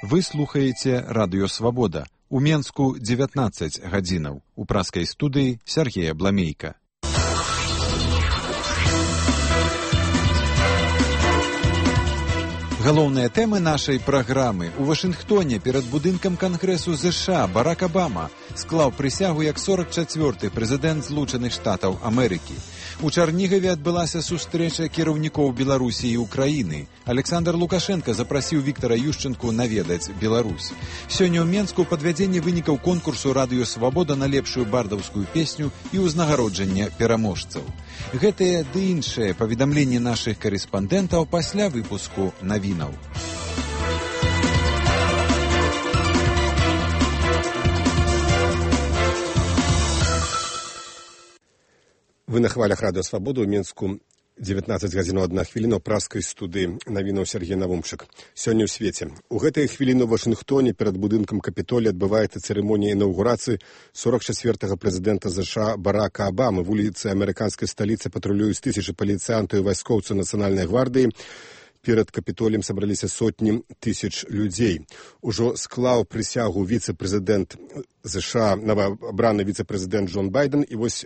Вы слухаеце Радыё Свабода. У Менску 19 гадзінаў. У праскай студыі Сергея Бламейка. Галоўныя тэмы нашай праграмы. У Вашынгтоне перад будынкам Кангрэсу ЗША Барак Абама склаў прысягу як 44-й прэзідэнт Злучаных Штатаў Амерыкі. У Чарнігаве адбылася сустрэча кіраўнікоў Беларусі і Украіны. Александр Лукашенко запрасіў Віктара Юшчэнку наведаць Беларусь. Сёння ў Менску падвядзенне вынікаў конкурсу «Радыё Свабода» на лепшую бардаўскую песню і ўзнагароджанне пераможцаў. Гэтыя ды іншыя паведамленні нашых карэспандэнтаў пасля выпуску навінаў. Вы на хвалях Радыё Свабода ў Менску 19 гадзінаў 1 хвіліна ў праскай студыі навінаў Сергей Навумчык. Сёння ў свеце. У гэтыя хвіліны ў Вашынгтоне перад будынкам Капітолія адбываецца цырымонія інаўгурацыі 44-го прэзідэнта ЗША Барака Абамы. Вуліцы амерыканскай сталіцы патрулююць тысячы паліцыянтаў і вайскоўцаў нацыянальнай гвардыі. Перад Капітоліем сабраліся сотні тысяч людзей. Ужо склаў прысягу віцэ-прэзідэнт ЗША, новаабраны віцэ-прэзідэнт Джон Байден, і вось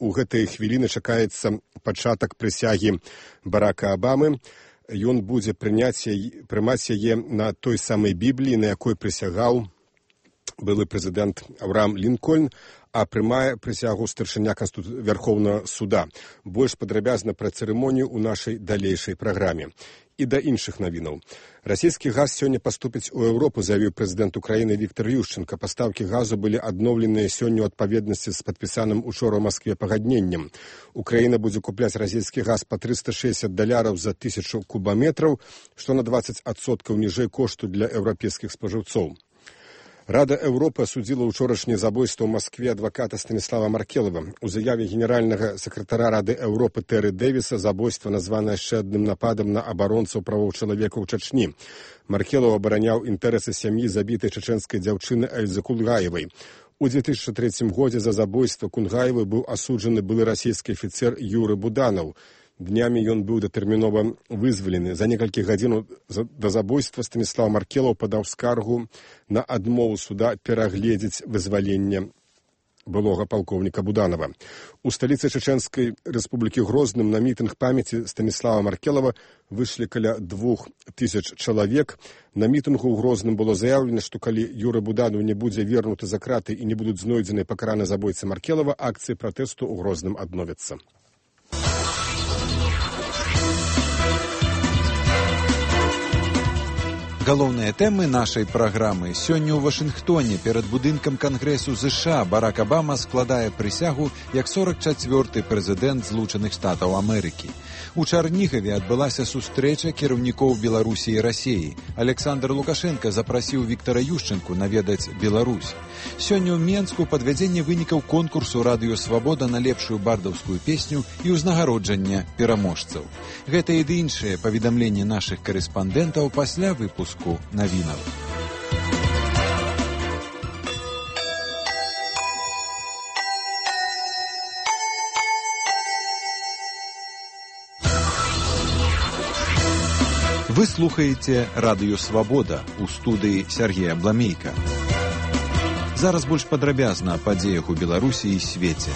у гэтыя хвіліны чакаецца пачатак прысягі Барака Абамы. Ён будзе прымаць яе на той самай Бібліі, на якой прысягаў былы прэзідэнт Авраам Лінкольн, а прымае прысягу старшыня Верховнага суда. Больш падрабязна пра цырымонію ў нашай далейшай праграме. І да іншых навінаў. Расійскі газ сёння паступіць у Еўропу, заявіў прэзідэнт Украіны Віктар Юшчэнка. Пастаўкі газу былі адноўленыя сёння ў адпаведнасці з падпісаным учора ў Маскве пагадненнем. Украіна будзе купляць расійскі газ па $360 за 1000 кубаметраў, што на 20% ніжэй кошту для еўрапейскіх спажыўцоў. Рада Еўропы асудзіла ўчорашняе забойства ў Маскве адваката Станіслава Маркелова. У заяве генеральнага сакратара Рады Еўропы Тэры Дэвіса забойства названа яшчэ адным нападам на абаронцаў правоў чалавека ў Чачні. Маркелов абараняў інтарэсы сям'і забітай чачэнскай дзяўчыны Эльзы Кунгаевай. У 2003 годзе за забойства Кунгаевай быў асуджаны былы расійскі афіцер Юры Буданаў. Днямі ён быў датэрмінова вызвалены. За некалькі гадзін да забойства Станіслав Маркелов падаў скаргу на адмову суда перагледзець вызваленне былога палкоўніка Буданова. У сталіцы Чачэнскай рэспублікі Грозным на мітынг памяці Станіслава Маркелова выйшлі каля 2000 чалавек. На мітынгу ў Грозным было заяўлена, што калі Юры Буданов не будзе вернуты за краты і не будуць знойдзены пакараны забойцы Маркелова, акцыі пратэсту ў Грозным адновяцца. Галоўныя тэмы нашай праграмы. Сёння ў Вашынгтоне перад будынкам Кангрэсу ЗША Барак Абама складае прысягу як 44-й прэзідэнт Злучаных Штатаў Амерыкі. У Чарнігаве адбылася сустрэча кіраўнікоў Беларусі і Расіі. Александр Лукашенко запрасіў Віктара Юшчэнку наведаць Беларусь. Сёння ў Менску падвядзенне вынікаў конкурсу «Радыё Свабода» на лепшую бардаўскую песню і ўзнагароджанне пераможцаў. Гэтыя ды іншыя паведамленні нашых карэспандэнтаў пасля выпуску навінаў. Вы слухаеце «Радыё Свабода» у студыі Сергея Бламейка. Зараз больш падрабязна о падзеях у Беларусі і свеце.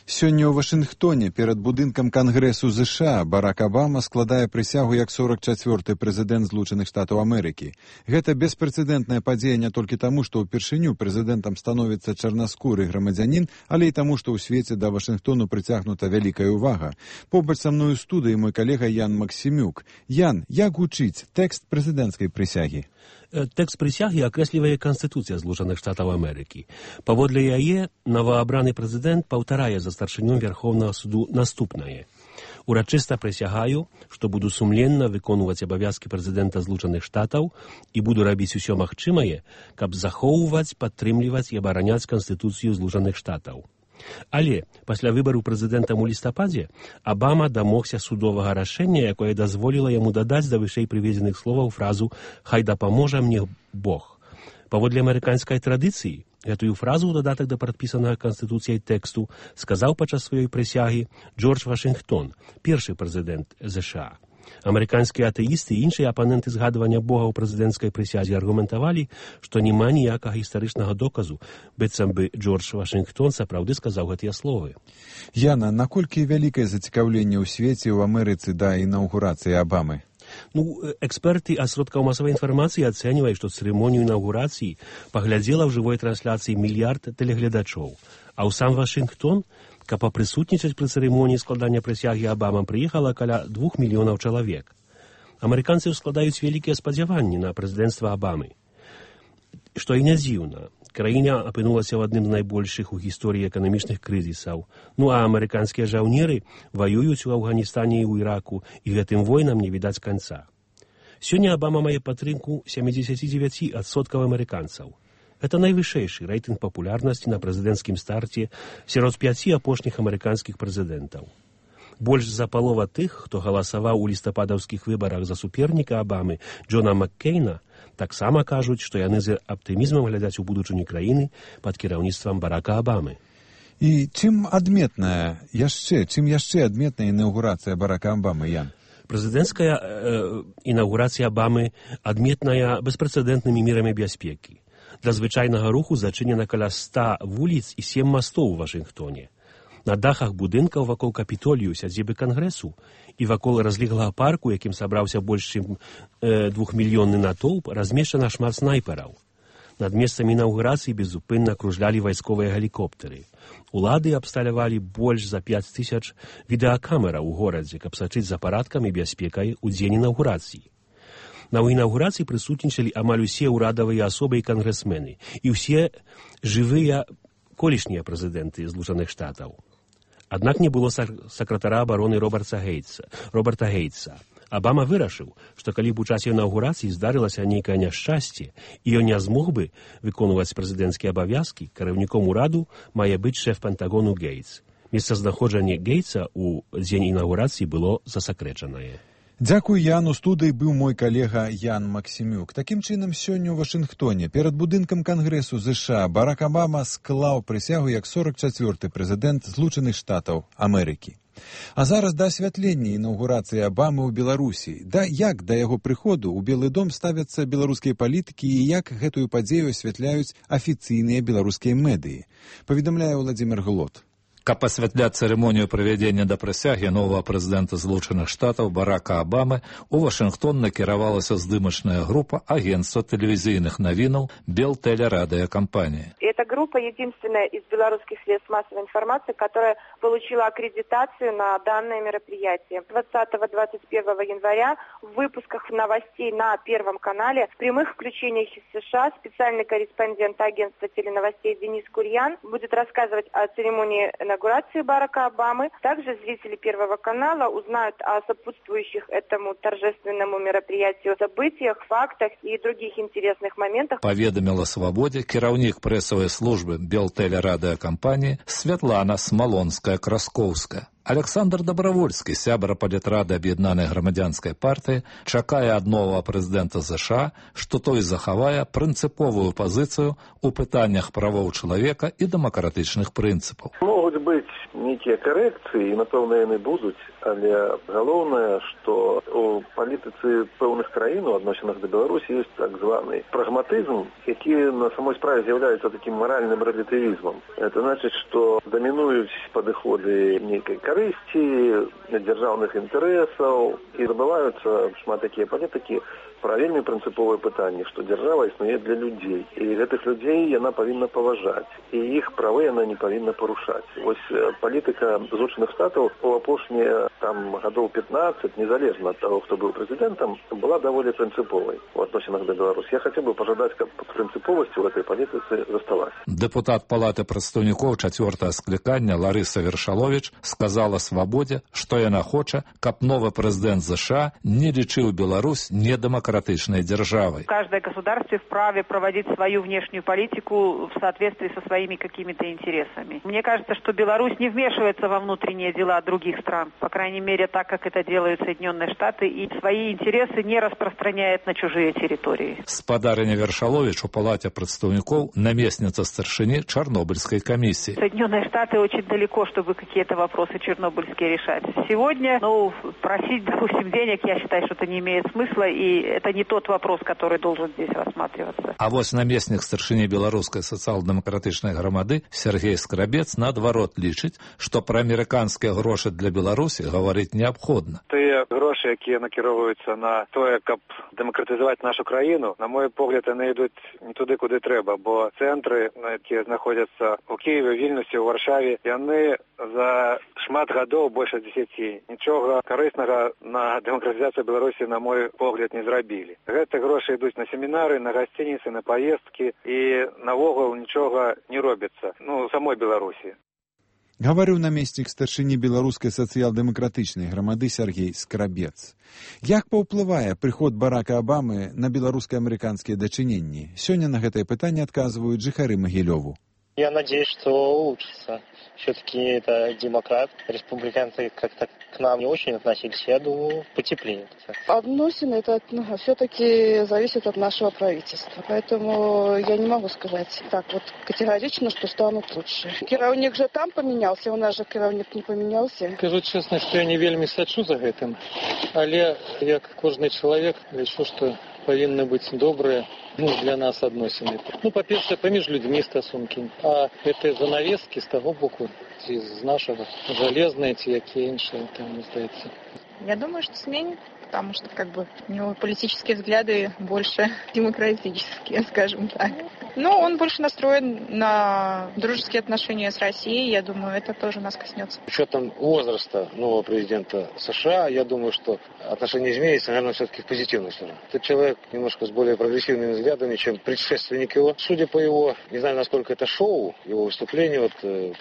Сёння ў Вашынгтоне перад будынкам Кангрэсу ЗША Барак Абама складае прысягу як 44-й прэзідэнт Злучаных Штатаў Амерыкі. Гэта беспрэцэдэнтная падзея не толькі таму, што ўпершыню прэзідэнтам становіцца чарнаскуры грамадзянін, але і таму, што ў свеце да Вашынгтону прыцягнута вялікая ўвага. Побач са мною ў студыі мой калега Ян Максімюк. Ян, як гучыць тэкст прэзідэнцкай прысягі? Тэкст прысягі акрэслівае Канстытуцыя Злучаных Штатаў Амерыкі. Паводле яе новаабраны прэзідэнт паўтарае за старшынём Верховнага суду наступнае. Урачыста прысягаю, што буду сумленна выконваць абавязкі прэзідэнта Злучаных Штатаў і буду рабіць усё магчымае, каб захоўваць, падтрымліваць і абараняць Канстытуцыю Злучаных Штатаў. Але пасля выбару прэзідэнтам у лістападзе Абама дамогся судовага рашэння, якое дазволіла яму дадаць да вышэй прыведзеных словаў фразу «Хай дапаможа мне Бог». Паводле амерыканскай традыцыі, гэтую фразу ў дадатак да прадпісанага Канстытуцыяй тэксту сказаў падчас сваёй прысягі Джордж Вашынгтон, першы прэзідэнт ЗША. Амерыканскія атэісты і іншыя апаненты згадвання Бога ў прэзідэнцкай прысязе аргументавалі, што няма ніякага гістарычнага доказу, быццам бы Джордж Вашынгтон сапраўды сказаў гэтыя словы. Яна, наколькі вялікае зацікаўленне ў свеце ў Амерыцы да інаўгурацыі Абамы? Эксперты асродкаў масавай інфармацыі ацэньваюць, што цырымонію інаўгурацыі паглядзела ў жывой трансляцыі мільярд тэлегледачоў, а ў сам Вашынгтон, каб папрысутнічаць пры цырымоніі складання прысягі Абамам, прыехала каля 2 мільёнаў чалавек. Амерыканцы складаюць вялікія спадзяванні на прэзідэнцтва Абамы. Што і не дзіўна. Краіна апынулася ў адным з найбольшых у гісторыі эканамічных крызісаў. А амерыканскія жаўнеры ваююць у Афганістане і ў Іраку, і гэтым войнам не відаць канца. Сёння Абама мае падтрымку 79% амерыканцаў. Гэта найвышэйшы рэйтынг папулярнасці на прэзідэнцкім старце сярод 5 апошніх амерыканскіх прэзідэнтаў. Больш за палова тых, хто галасаваў у лістападаўскіх выбарах за суперніка Абамы, Джона Маккейна, таксама кажуць, што яны з аптымізмам глядзяць у будучыню краіны пад кіраўніцтвам Барака Абамы. І чым яшчэ адметная інаўгурацыя Барака Абамы, Ян? Прэзідэнцкая інаўгурацыя Абамы адметная беспрэцэдэнтнымі мерамі бяспекі. Для звычайнага руху зачынена каля 100 вуліц і 7 мастоў у Вашынгтоне. На дахах будынкаў вакол Капітолію, сядзібы Кангрэсу, і вакол разлеглага парку, якім сабраўся больш чым 2-мільённы натоўп, размешчана шмат снайпераў. Над месцамі інаўгурацыі безупынна кружлялі вайсковыя гелікоптэры. Улады абсталявалі больш за 5000 відэакамераў у горадзе, каб сачыць за парадкам і бяспекай у дзень інаўгурацыі. На інаўгурацыі прысутнічалі амаль усе ўрадавыя асобы і кангрэсмены, і ўсе жывыя колішнія прэзідэнты Злучаных Штатаў. Аднак не было сакратара абароны Роберта Гейтса. Абама вырашыў, што калі б у часе інаўгурацыі здарылася нейкае няшчасце, і ён не змог бы выконваць прэзідэнцкія абавязкі, кіраўніком ураду мае быць шэф Пентагону Гейтс. Месцазнаходжанне Гейтса ў дзень інаўгурацыі было засакрэчанае. Дзякуй, Ян. У студыі быў мой калега Ян Максімюк. Такім чынам, сёння ў Вашынгтоне перад будынкам Кангрэсу ЗША Барак Абама склаў прысягу як 44-й прэзідэнт Злучаных Штатаў Амерыкі. А зараз да асвятлення інаўгурацыі Абамы ў Беларусі. Як да яго прыходу ў Белы дом ставяцца беларускія палітыкі і як гэтую падзею асвятляюць афіцыйныя беларускія медыі, паведамляе Владзімір Глот. Каб асвятляць цырымонію прывядзення да прысягі новага прэзідэнта Злучаных Штатаў Барака Абамы, у Вашынгтон накіравалася здымачная група агентства тэлевізійных навінаў Белтелерадиокомпании. Эта группа единственная из белорусских средств массовой информации, которая получила аккредитацию на данное мероприятие. 20-21 января в выпусках новостей на Первом канале в прямых включениях из США специальный корреспондент агентства теленовостей Денис Курьян будет рассказывать о церемонии инаугурации Барака Обамы. Также зрители Первого канала узнают о сопутствующих этому торжественному мероприятию событиях, фактах и других интересных моментах. Поведомила «Свободе» кіраўнік прэсавай службы Белтелерадиокомпании Святлана Смалонская-Красковская. Александр Добровольский, сябра палітрады Аб'яднанай грамадзянскай партыі, чакае ад новага прэзідэнта США, што той захавае прынцыповую пазіцыю ў пытаннях правоў чалавека і дэмакратычных прынцыпаў. Могуць быць нейкія карэкцыі, і, напэўна, яны будуць, але галоўнае, што у палітыцы пэўных краін у адносінах да Беларусі ёсць так званы прагматызм, які на самой справе з'яўляецца такім маральным рэлятывізмам. Это значыць, што дамінуюць падыходы нейкай карысці, дзяржаўных інтарэсаў, і забываюцца шмат такія палітыкі пра вельмі прынцыповае пытанне, што дзяржава існуе для людзей, і гэтых людзей яна павінна паважаць, і іх правы яна не павінна парушаць. Вось палітыка Злучаных Штатаў у апошнія гадоў 15, незалежна ад таго, хто быў прэзідэнтам, была даволі прынцыповай у адносінах да Беларусі. Я хацеў бы пажадаць, каб прынцыповасць у гэтай палітыцы засталася. Дэпутат Палаты прадстаўнікоў 4-го склікання Ларыса Вершаловіч сказала «Свободе», што яна хоча, каб новы прэзідэнт США не лічыў Беларусь недэмакратычнай демократичной державой. Каждое государство вправе проводить свою внешнюю политику в соответствии со своими какими-то интересами. Мне кажется, что Беларусь не вмешивается во внутренние дела других стран, по крайней мере, так, как это делают Соединенные Штаты, и свои интересы не распространяет на чужие территории. Спадарыня Вершалович у Палате представников наместница старшины Чернобыльской комиссии. Соединенные Штаты очень далеко, чтобы какие-то вопросы чернобыльские решать. Сегодня, просить, допустим, денег, я считаю, что это не имеет смысла, и это не тот вопрос, который должен здесь рассматриваться. А вот наместник старшыні беларускай сацыял-дэмакратычнай грамады Сергей Скрабец наадварот лічыць, што пра амерыканскія грошы для Беларусі гаварыць неабходна. Тыя грошы, якія накіроўваюцца на тое, каб дэмакратызаваць нашу краіну, на мой погляд, яны ідуць не туды, куды трэба, бо цэнтры, якія знаходзяцца ў Кіеве, Вільнюсе, ў Варшаве, яны за шмат гадоў, больш 10, нічога карыснага на дэмакратызацыю Беларусі, на мой погляд, не зрабілі. Гэты грошы ідуць на семінары, на гасцініцы, на паездкі, і навогул нічога не робіцца, самой Беларусі. Гаварыў намеснік старшыні беларускай сацыял-дэмакратычнай грамады Сергей Скрабец. Як паўплывае прыход Барака Абамы на беларуска-амерыканскія дачыненні? Сёння на гэтае пытанне адказваюць жыхары Магілёву. Я надеюсь, что улучшится. Все-таки это демократ. Республиканцы как-то к нам не очень относились. Я думаю, потеплеет. Относины это все-таки зависит от нашего правительства. Поэтому я не могу сказать так вот категорично, что станут лучше. Кіраўнік же там поменялся, у нас же кіраўнік не поменялся. Скажу честно, что я не вельмі сачу за гэтым. Але як кожны человек, лічу, что повинны быть добрые для нас адносіны. Па-першае, паміж людзьмі стасункі. А гэтыя занавескі з таго боку, ці з нашага, жалезныя, ці якія іншыя, там, мне здаецца. Я думаю, что сменит, потому что у него политические взгляды больше демократические, скажем так. Но он больше настроен на дружеские отношения с Россией. Я думаю, это тоже нас коснется. С учетом возраста нового президента США, я думаю, что отношения изменятся, наверное, все-таки в позитивную сторону. Этот человек немножко с более прогрессивными взглядами, чем предшественник его. Судя по его, не знаю, насколько это шоу, его выступления,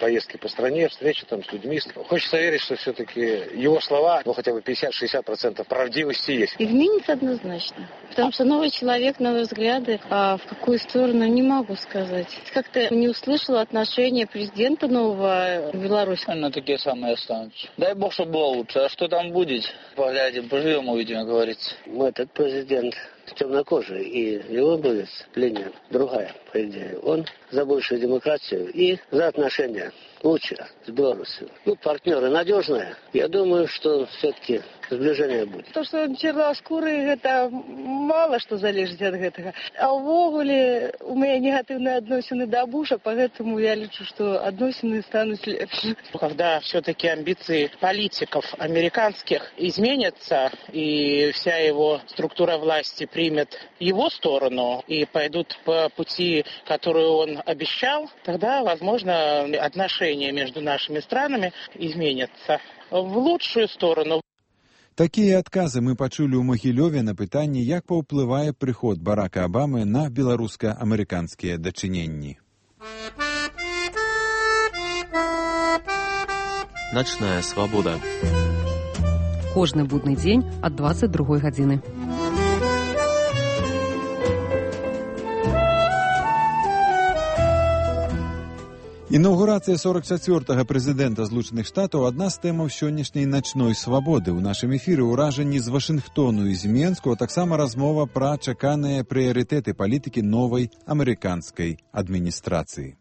поездки по стране, встречи там с людьми. Хочется верить, что все-таки его слова, хотя бы 50-60% правдивости есть. Изменится однозначно. Потому что новый человек, новые взгляды, а в какую сторону не могу сказать. Как-то не услышала отношения президента нового в Беларуси. Такие самые останутся. Дай бог, чтобы было лучше. А что там будет? Поглядим, поживем, увидим, как говорится. Этот президент темнокожий, и его будет линия другая, по идее. Он за большую демократию и за отношения лучше с Беларусью. Партнеры надежные. Я думаю, что все-таки сближение будет. То, что он черноскурый, это мало что залежит от этого. А увогуле у меня негативные отношения до Буша, поэтому я лечу, что отношения станут легче. Когда все-таки амбиции политиков американских изменятся, и вся его структура власти примет его сторону и пойдут по пути, который он обещал, тогда, возможно, отношения между нашими странами изменятся в лучшую сторону. Такія адказы мы пачулі ў Магілёве на пытанне, як паўплывае прыход Барака Абамы на беларуска-амерыканскія дачыненні. Ночная свабода. Кожны будны дзень ад 22 гадзіны. Інаўгурацыя 44-га прэзідэнта Злучаных Штатаў адна з тэмаў сённяшняй начной свабоды. У нашым эфіры ўражанні з Вашынгтону і з Менску, а таксама размова пра чаканыя прыярытэты палітыкі новай амерыканскай адміністрацыі.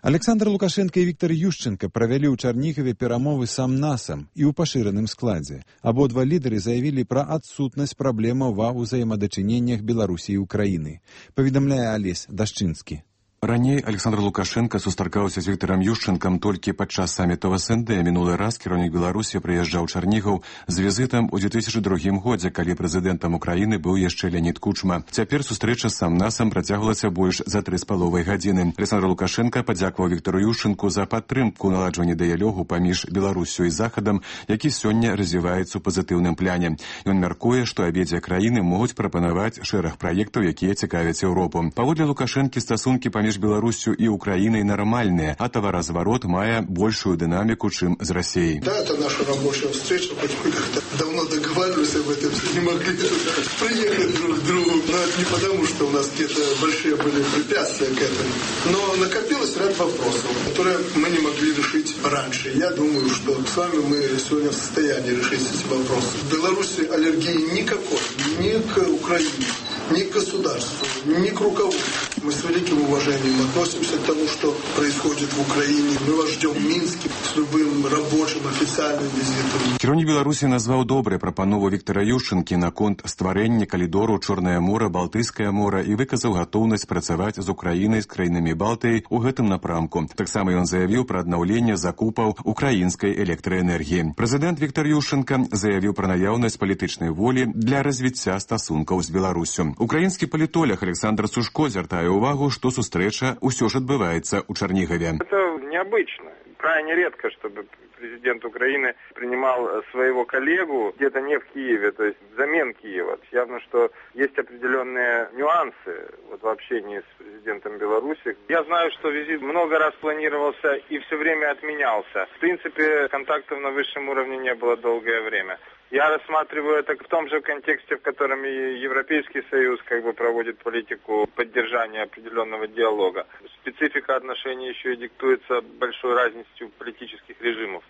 Александр Лукашенко і Віктор Ющенко правялі ў Чарнігаве перамовы сам-насам і ў пашыраным складзе. Абодва лідары заявілі пра адсутнасць праблемаў ва ўзаемадачыненнях Беларусі і Украіны. Паведамляе Алесь Дашчынскі. Раней Александр Лукашенко сустракаўся з Вікторам Ющенкам толькі падчас саміту в СНД. Мінулы раз кіраўнік Беларусі прыязджаў Чарнігаў з візітам у 2002 годзе, калі прэзідэнтам Украіны быў яшчэ Леонід Кучма. Цяпер сустрэча з сам-насам працягвалася больш за 3,5 гадзіны. Александр Лукашенко падзякаваў Віктору Ющенку за падтрымку наладжвання дыялогу паміж Беларусю і Захадам, які сёння развіваецца ў пазітыўным пляне. Ён мяркуе, што абедзве краіны могуць прапанаваць шэраг праектаў, якія цікавяць Еўропу. Паводле Лукашэнкі, стасункі паміж паміж Беларусью і Украінай нармальныя, а таваразварот мае большую дынаміку, чым з Расіяй. Да, это наша рабочая встреча, хоть мы как-то давно договаривались об этом, не могли приехать друг к другу. Но это не потому, что у нас какие-то большие были препятствия к этому. Но накопилось ряд вопросов, которые мы не могли решить раньше. Я думаю, что с вами мы сегодня в состоянии решить эти вопросы. В Беларуси аллергии никакой, ни к Украине, ни к государству, ни к руководству. Мы с великим уважением относимся к тому, что происходит в Украине. Мы вас ждем в Минске с любым рабочим официальным визитом. Кіраўнік Беларусі назваў добрай прапанову Віктара Ющэнкі наконт стварэння калідору Чорнае мора, Балтыйскае мора і выказаў гатоўнасць працаваць з Украінай, з краінамі Балтыі ў гэтым напрамку. Таксама ён заявіў пра аднаўленне закупаў украінскай электраэнергіі. Прэзідэнт Віктар Ющэнка заявіў пра наяўнасць палітычнай волі для развіцця стасункаў з Беларусю. Украінскі палітолог Александр Сушко звяртае увагу, што сустрэча ўсё ж адбываецца ў Чарнігаве. Это необычно. Крайне редко, чтобы президент Украины принимал своего коллегу где-то не в Киеве, то есть взамен Киева. Явно, что есть определенные нюансы в общении с президентом Беларуси. Я знаю, что визит много раз планировался и все время отменялся. В принципе, контактов на высшем уровне не было долгое время. Я рассматриваю это в том же контексте, в котором и Европейский Союз проводит политику поддержания определенного диалога. Специфика отношений еще и диктуется большой разностью политических режимов.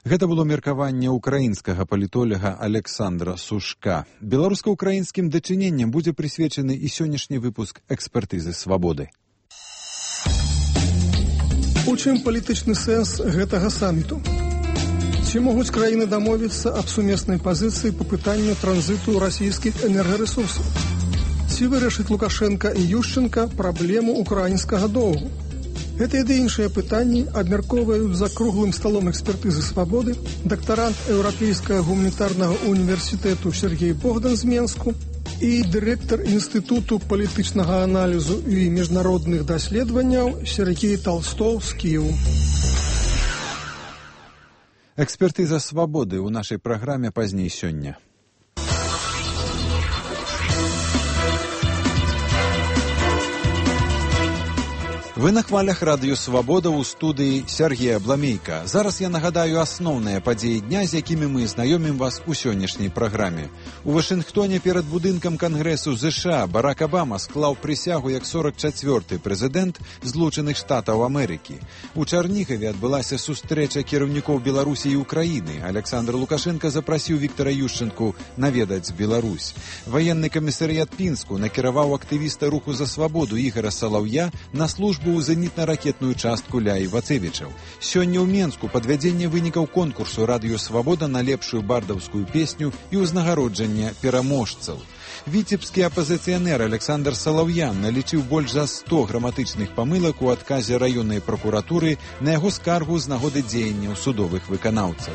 Гэта было меркаванне украінскага палітолага Александра Сушка. Беларуска-украінскім дачыненням будзе прысвечаны і сённяшні выпуск экспертызы свабоды. У чым палітычны сэнс гэтага саміту? Ці могуць краіны дамовіцца аб сумеснай пазіцыі па пытанню транзіту расійскіх энергарэсурсаў? Ці вырашыць Лукашенка і Ющенка праблему украінскага доўгу? Гэта і іншыя пытанні абмяркоўваюць за круглым сталом экспертызы свабоды дактарант Еўрапейскага гуманітарнага універсітэту Сергей Богдан з Менску і дырэктар Інстытуту палітычнага аналізу і міжнародных даследаванняў Сергей Толстов з Кіеву. Экспертыза свабоды ў нашай праграме пазней сёння. Вы на хвалях радыё «Свабода» ў студыі Сергея Бламейка. Зараз я нагадаю асноўныя падзеі дня, з якімі мы знаёмім вас у сённяшняй праграме. У Вашынгтоне перад будынкам Кангрэсу ЗША Барак Абама склаў прысягу як 44-й прэзідэнт Злучаных Штатаў Амерыкі. У Чарнігаве адбылася сустрэча кіраўнікоў Беларусі і Украіны. Александр Лукашенка запрасіў Віктара Ющэнку наведаць Беларусь. Ваенны камісарыят Пінску накіраваў актывіста руху за свабоду Ігара Салаўя на службу ў зенітна-ракетную частку ля Івацевічаў. Сёння ў Менску падвядзенне вынікаў конкурсу «Радыё Свабода» на лепшую бардаўскую песню і ўзнагароджанне пераможцаў. Віцебскі апазіцыянер Александр Салаўян налічыў больш за 100 граматычных памылак у адказе раённай пракуратуры на яго скаргу з нагоды дзеянняў судовых выканаўцаў.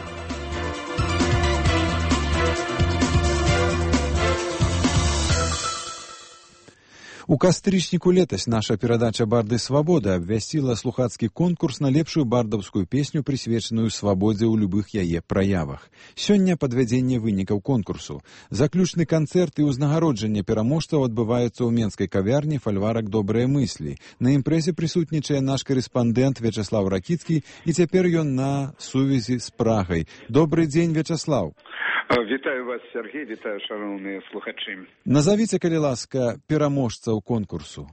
У кастрычніку летась наша перадача «Барды свабоды» абвясціла слухацкі конкурс на лепшую бардаўскую песню, прысвечаную свабодзе ў любых яе праявах. Сёння падвядзенне вынікаў конкурсу. Заключны канцэрт і ўзнагароджанне пераможцаў адбываюцца ў менскай кавярні «Фальварак добрыя мыслі». На імпрэзе прысутнічае наш карэспандэнт Вячаслав Ракіцкі, і цяпер ён на сувязі з Прагай. Добры дзень, Вячаслав. Вітаю вас, Сергей, вітаю, шановні слухачі. Назовіце, калі ласка, пераможцаў конкурсу.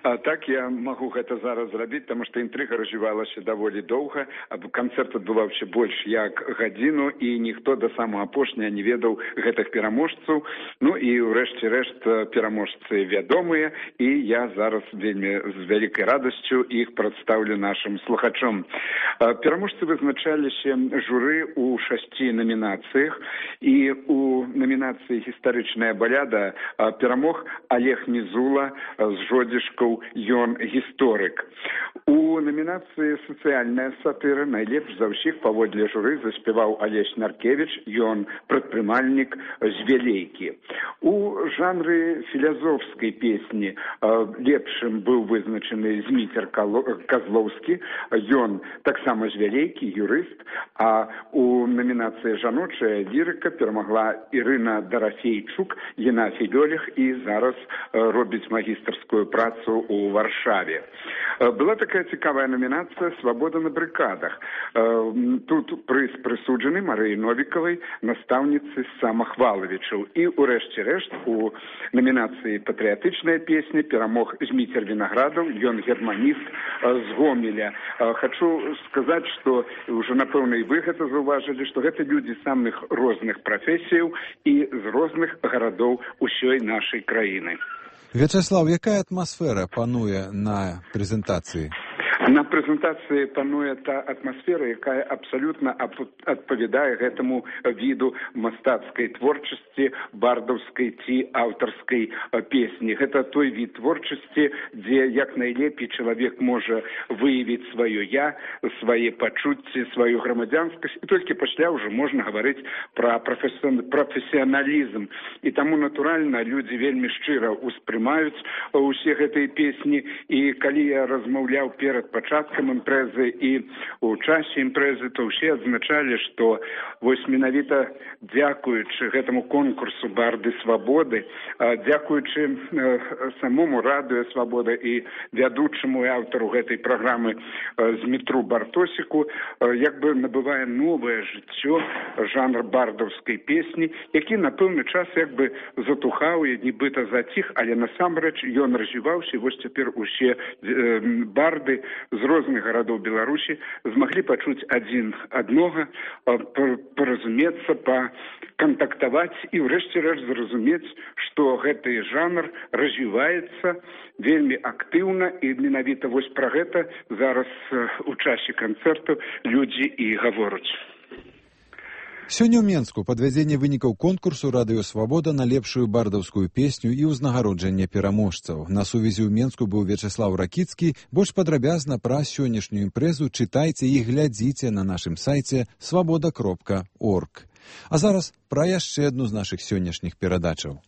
Так, я могу гэта зараз зрабіць, таму што інтрыга развівалася даволі доўга. Канцэрт адбываўся больш як гадзіну, і ніхто да самага апошняга не ведаў гэтых пераможцаў. Ну і ўрэшце рэшт пераможцы вядомыя, і я зараз вельмі з вялікай радасцю іх прадстаўлю нашым слухачом. Пераможцы вызначаліся журы ў 6 намінацыях, і у намінацыі «Гістарычная баляда» перамог Олег Мізула з Жодзішкаў «Ён гісторык». У номінацыі «Сацыяльная сатыра» найлепш за ўсіх паводле журы заспяваў Алесь Наркевіч, ён прадпрымальнік з Вялейкі. У жанры філазофскай песні лепшым быў вызначаны Зміцер Казлоўскі, ён таксама з Вялейкі, юрыст, а у номінацыі «Жаночая лірыка» перамагла Ірына Дарафейчук, яна філолог і зараз робіць магістарскую працу у Варшаве. Была такая цікавая номінацыя «Свабода на брыкадах». Тут прыз прысуджаны Марыі Новікавай, настаўніцы самахвалавічаў. І ўрэшце рэшт у номінацыі «Патрыятычная песня» перамог Зміцер Вінаградаў, ён германіст з Гомеля. Хачу сказаць, што ўжо, напэўна, і вы гэта заўважылі, што гэта людзі самых розных прафесіяў і з розных гарадоў усёй нашай краіны. Вячеслав, якая атмасфера пануе на прэзентацыі? На прэзентацыі пануе та атмасфера, якая абсалютна адпавядае гэтаму віду мастацкай творчасці, бардаўскай ці аўтарскай песні. Гэта той від творчасці, дзе як найлепей чалавек можа выявіць сваё я, свае пачуцці, сваю грамадзянскасць, і толькі пасля ўжо можна гаварыць пра прафесіяналізм. І таму, натуральна, людзі вельмі шчыра ўспрымаюць усе гэтыя песні, і калі я размаўляў перад пачаткам імпрэзы і ў часе імпрэзы, то ўсе адзначалі, што вось менавіта дзякуючы гэтаму конкурсу «Барды свабоды», дзякуючы самому радыё «Свабода» і вядучаму і аўтару гэтай праграмы Змітру Бартосіку, як бы набывае новае жыццё жанр бардаўскай песні, які на пэўны час як бы затухаў і нібыта заціх, але насамрэч ён развіваўся, і вось цяпер усе барды з розных гарадоў Беларусі змаглі пачуць адзін аднога, паразумецца, пакантактаваць і ўрэшце рэшт зразумець, што гэты жанр развіваецца вельмі актыўна, і менавіта вось пра гэта зараз у часе канцэрту людзі і гавораць. Сёння ў Менску падвядзенне вынікаў конкурсу «Радыё Свабода» на лепшую бардаўскую песню і ўзнагароджанне пераможцаў. На сувязі ў Менску быў Вячеслав Ракіцкі. Больш падрабязна пра сённяшнюю імпрэзу чытайце і глядзіце на нашым сайце свабода.орг. А зараз пра яшчэ адну з нашых сённяшніх перадачаў.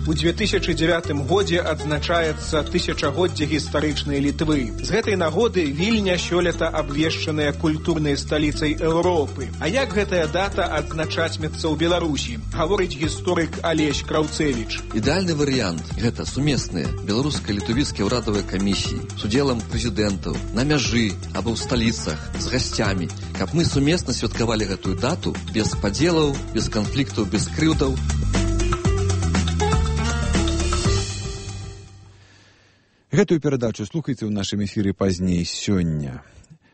У 2009 годзе адзначаецца тысячагоддзе гістарычнай Літвы. З гэтай нагоды Вільня сёлета абвешчаная культурнай сталіцай Еўропы. А як гэтая дата адзначатьмецца ў Беларусі, гаворыць гісторык Алесь Краўцевіч. Ідэальны варыянт – гэта сумесныя беларуска-літвійскія ўрадавыя камісіі з удзелам прэзідэнтаў на мяжы або ў сталіцах з гасцямі, каб мы сумесна святкавалі гэтую дату без падзелаў, без канфліктаў, без крыўдаў. Гэтую перадачу слухайце ў нашым эфіры пазней сёння.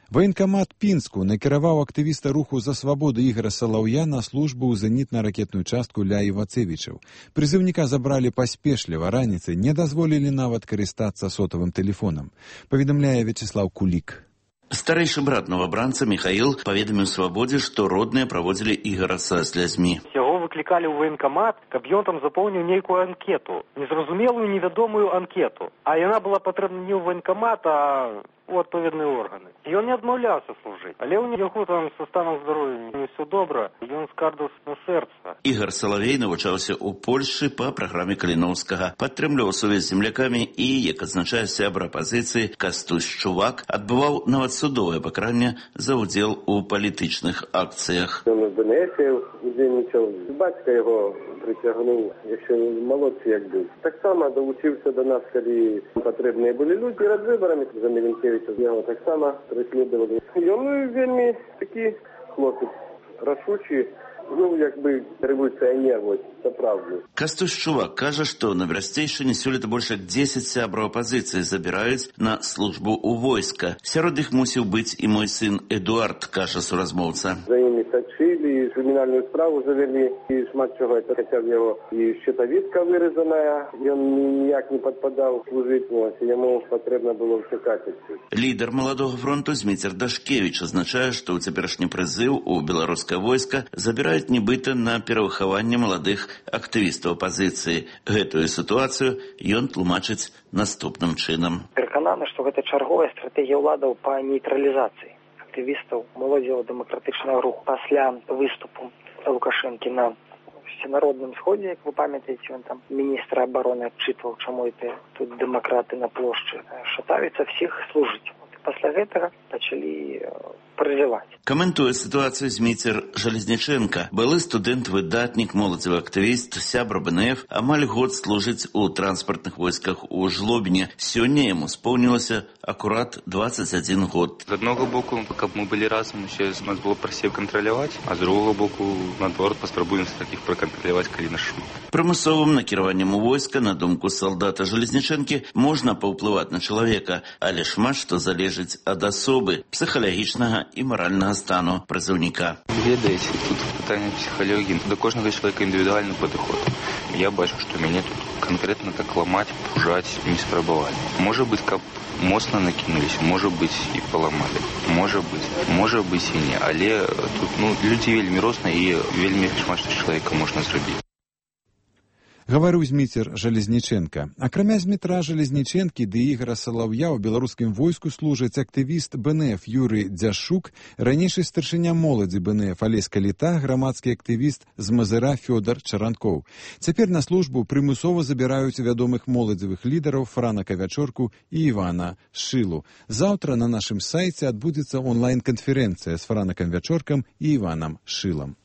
Ваенкамат Пінску накіраваў актывіста руху за свабоду Ігора Салаўя на службу ў зенітна-ракетную частку ля Івацевічаў. Прызыўніка забралі паспешліва, раніцай не дазволілі нават карыстацца сотавым тэлефонам, паведамляе Вячеслав Кулік. Старэйшы брат новабранца Михаил паведаміў Свабодзе, што родныя праводзілі Ігора са слязьмі. Яго выклікалі ў ваенкамат, каб ён там запоўніў нейкую анкету, незразумелую, невядомую анкету. А яна была патрэбна не ў ваенкамат, а у адпаведныя органы. Ён не адмаўляўся служыць, але ў яго там са станам здароўя не ўсё добра, ён скардаўся на сэрца. Ігор Салавей навучаўся ў Польшчы па праграме Каліноўскага, падтрымліваў сувязь з землякамі і, як адзначае сябра апазіцыі Кастусь Чувак, адбываў нават судовае пакаранне за ўдзел у палітычных акцыях. Ён у ДНС удзельнічаў, бацька яго прыцягнуў, яшчэ малодшы як быў. Таксама далучыўся да нас, калі патрэбныя былі людзі перад выбарамі за Міленкевіча. Яго таксама преследавалі. Ён вельмі такі хлопец, рашучы, як бы рэволюцыянер, вось, сапраўдны. Кастусь Чувак кажа, што на Берасцейшчыне сёлета больш як 10 сябраў апазіцыі забіраюць на службу ў войска. Сярод іх мусіў быць і мой сын Эдуард, кажа суразмоўца. За імі сачылі, крымінальную справу завялі, і шмат чого, хаця б яго і щитовідка вырезаная, ён ніяк не падпадаў служыць, яму патрэбна было чакаць адсюль. Лідар Маладога фронту Зміцер Дашкевіч азначае, што ў цяперашні прызыў у беларускае войска забіраюць нібыта на перавыхаванне маладых актывістаў апазіцыі. Гэтую сітуацыю ён тлумачыць наступным чынам. Перакананы, што гэта чарговая стратэгія ўладаў па нейтралізацыі актывістаў моладзевого дэмакратычнага руху. Пасля выступу Лукашэнкі на всенародным сходзе, як вы памятаеце, ён там міністра абароны адчытваў, чаму это тут дэмакраты на плошчы шатаюцца всіх служыць. Пасля гэтага начали призывать. Каментуе ситуацию Зміцер Жалезніченка. Былы студэнт-выдатнік, моладзевы актывіст, сябра БНФ, амаль год служыць у транспартных войсках у Жлобіне. Сёння яму споўнілася акурат 21 год. З аднаго боку, каб мы былі разам, усе нас было прасцей кантраляваць, а з другога боку, наадварот, паспрабуем такіх пракантраляваць, калі нас шмат. Прымусовым накіраваннем у войска, на думку салдата Жалезнічэнкі, можна паўплываць на чалавека, але шмат што залежыць ад асобы, псіхалагічнага і маральнага стану прызыўніка. Ведаеце, тут пытанне псіхалогіі. До кожнага чалавека індывідуальны падыход. Я бачу, што мяне тут канкрэтна так ламаць, пужаць не спрабавалі. Можа быць, каб моцна накінуліся, можа быць і паламалі. Можа быць і не. Але тут людзі вельмі розныя і вельмі шмат што чалавека можна зрабіць. Гаварыў Зміцер Жалезніченка. Акрамя Змітра Жалезнічэнкі ды Ігара Салаўя ў беларускім войску служаць актывіст БНФ Юрый Дзяшук, ранейшы старшыня моладзі БНФ Алесь Каліта, грамадскі актывіст з Мазыра Фёдар Чаранкоў. Цяпер на службу прымусова забіраюць вядомых моладзевых лідараў Франа Кавячорку і Івана Шылу. Заўтра на нашым сайце адбудзецца онлайн-канферэнцыя з Франакам Вячоркам і Іванам Шылам.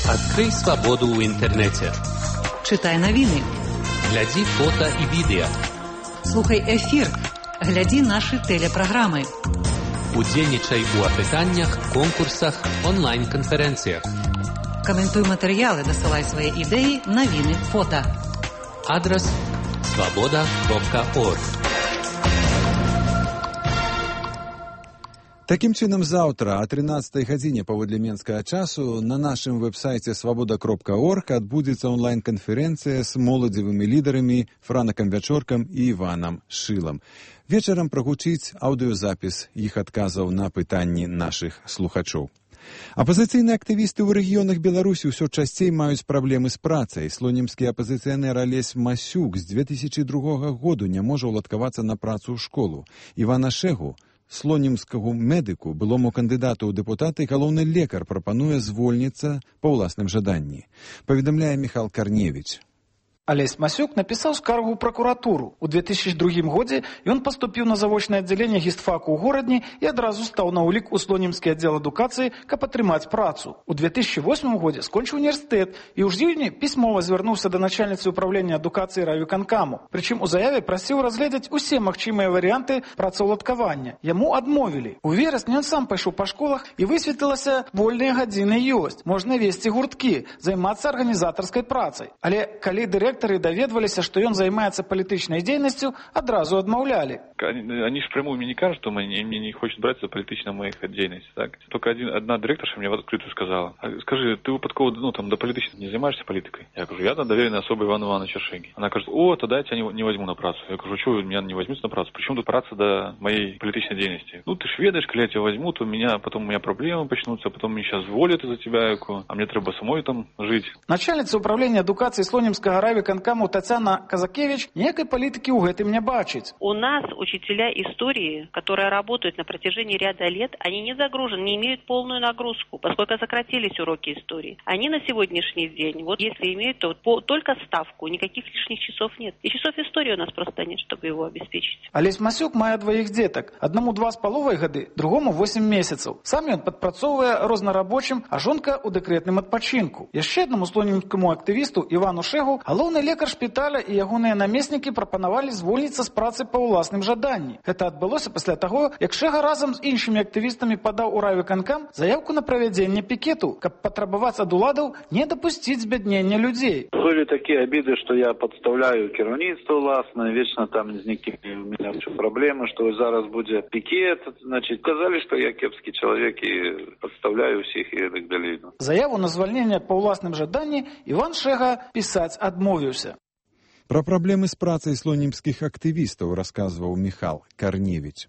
Открой свободу в интернете. Читай новины. Гляди фото и видео. Слухай эфир. Гляди наши телепрограммы. Удзельнічай у апытаннях, конкурсах, онлайн-конференциях. Комментуй материалы, досылай свои идеи, новины, фото. Адрес svoboda.org. Такім чынам, заўтра о 13 гадзіне паводле менскага часу на нашым вэб-сайце svoboda.org адбудзецца онлайн-канферэнцыя з моладзевымі лідарамі Франакам Вячоркам і Іванам Шылам. Вечарам прагучыць аўдыёзапіс іх адказаў на пытанні нашых слухачоў. Апазіцыйныя актывісты ў рэгіёнах Беларусі ўсё часцей маюць праблемы з працай. Слонімскі апазіцыянер Алесь Масюк з 2002 году не можа ўладкавацца на працу ў школу. Івана Шэгу, слонімскага медыку, былому кандыдату ў дэпутаты, галоўны лекар прапануе звольніцца па ўласным жаданні. Паведамляе Міхал Карневіч. Алесь Масюк напісаў скаргу ў пракуратуру. У 2002 годзе ён паступіў на завочнае аддзяленне гістфаку ў горадні і адразу стаў на ўлік у слонімскі аддзел адукацыі, каб атрымаць працу. У 2008 годзе скончыў універсітэт і ў жніўні пісьмова звярнуўся да начальніцы ўправлення адукацыі райвыканкаму. Прычым у заяве прасіў разгледзець усе магчымыя варыянты працаўладкавання. Яму адмовілі. У верасні ён сам пайшоў па школах і высветлілася, вольныя гадзіны ёсць. Можна весці гурткі, займацца арганізатарскай працай. Але калі дырэктар доведваліся, што ён займаецца палітычнай дзейнасцю, адразу адмаўлялі. Они же прямую мне не кажут, что мне не хочет брать за политичную мою деятельность. Так? Только одна директорша мне в открытую сказала: скажи, ты выпадково до политичной не занимаешься политикой? Я говорю, я доверенная особа Ивана Ивановича Шеги. Она говорит, тогда я тебя не возьму на працу. Я говорю, что вы меня не возьмете на працу? Причем тут праца до моей политичной деятельности? Ты ж ведаешь, когда я тебя возьму, то потом у меня проблемы начнутся, потом меня сейчас зволят из-за тебя, а мне треба самой там жить. Начальница управления адукации Слонимского райвыканкаму Татьяна Казакевич некой политики у гэтым не бачить. У нас учителя истории, которые работают на протяжении ряда лет, они не загружены, не имеют полную нагрузку, поскольку сократились уроки истории. Они на сегодняшний день, если имеют, то только ставку, никаких лишних часов нет. И часов истории у нас просто нет, чтобы его обеспечить. Алесь Масюк мае двоих деток. Одному 2,5 гады, другому 8 месяцев. Сам ён падпрацоўвае рознарабочым, а жонка у дэкрэтным адпачынку. Яшчэ аднаму слонімскаму актывісту Івану Шэгу галоўны лекар шпіталя і ягоныя намеснікі прапанавалі звольніцца з працы па ўласным жаданні. Гэта адбылося пасля таго, як Шэга разам з іншымі актывістамі падаў у райвыканкам заявку на правядзенне пікету, каб патрабаваць ад уладаў не дапусціць збяднення людзей. Были такие обиды, что я подставляю кіраўніцтва ўласнае, вечно там з некімі у меня проблемы, что зараз будзе пікет, значит, казалі, что я кепскі чалавек і подставляю усіх і так далей. Заяву на звальненне па ўласным жаданні Іван Шэга пісаць адмовіўся. Пра праблемы з працай слонімскіх актывістаў расказваў Міхал Карневіч.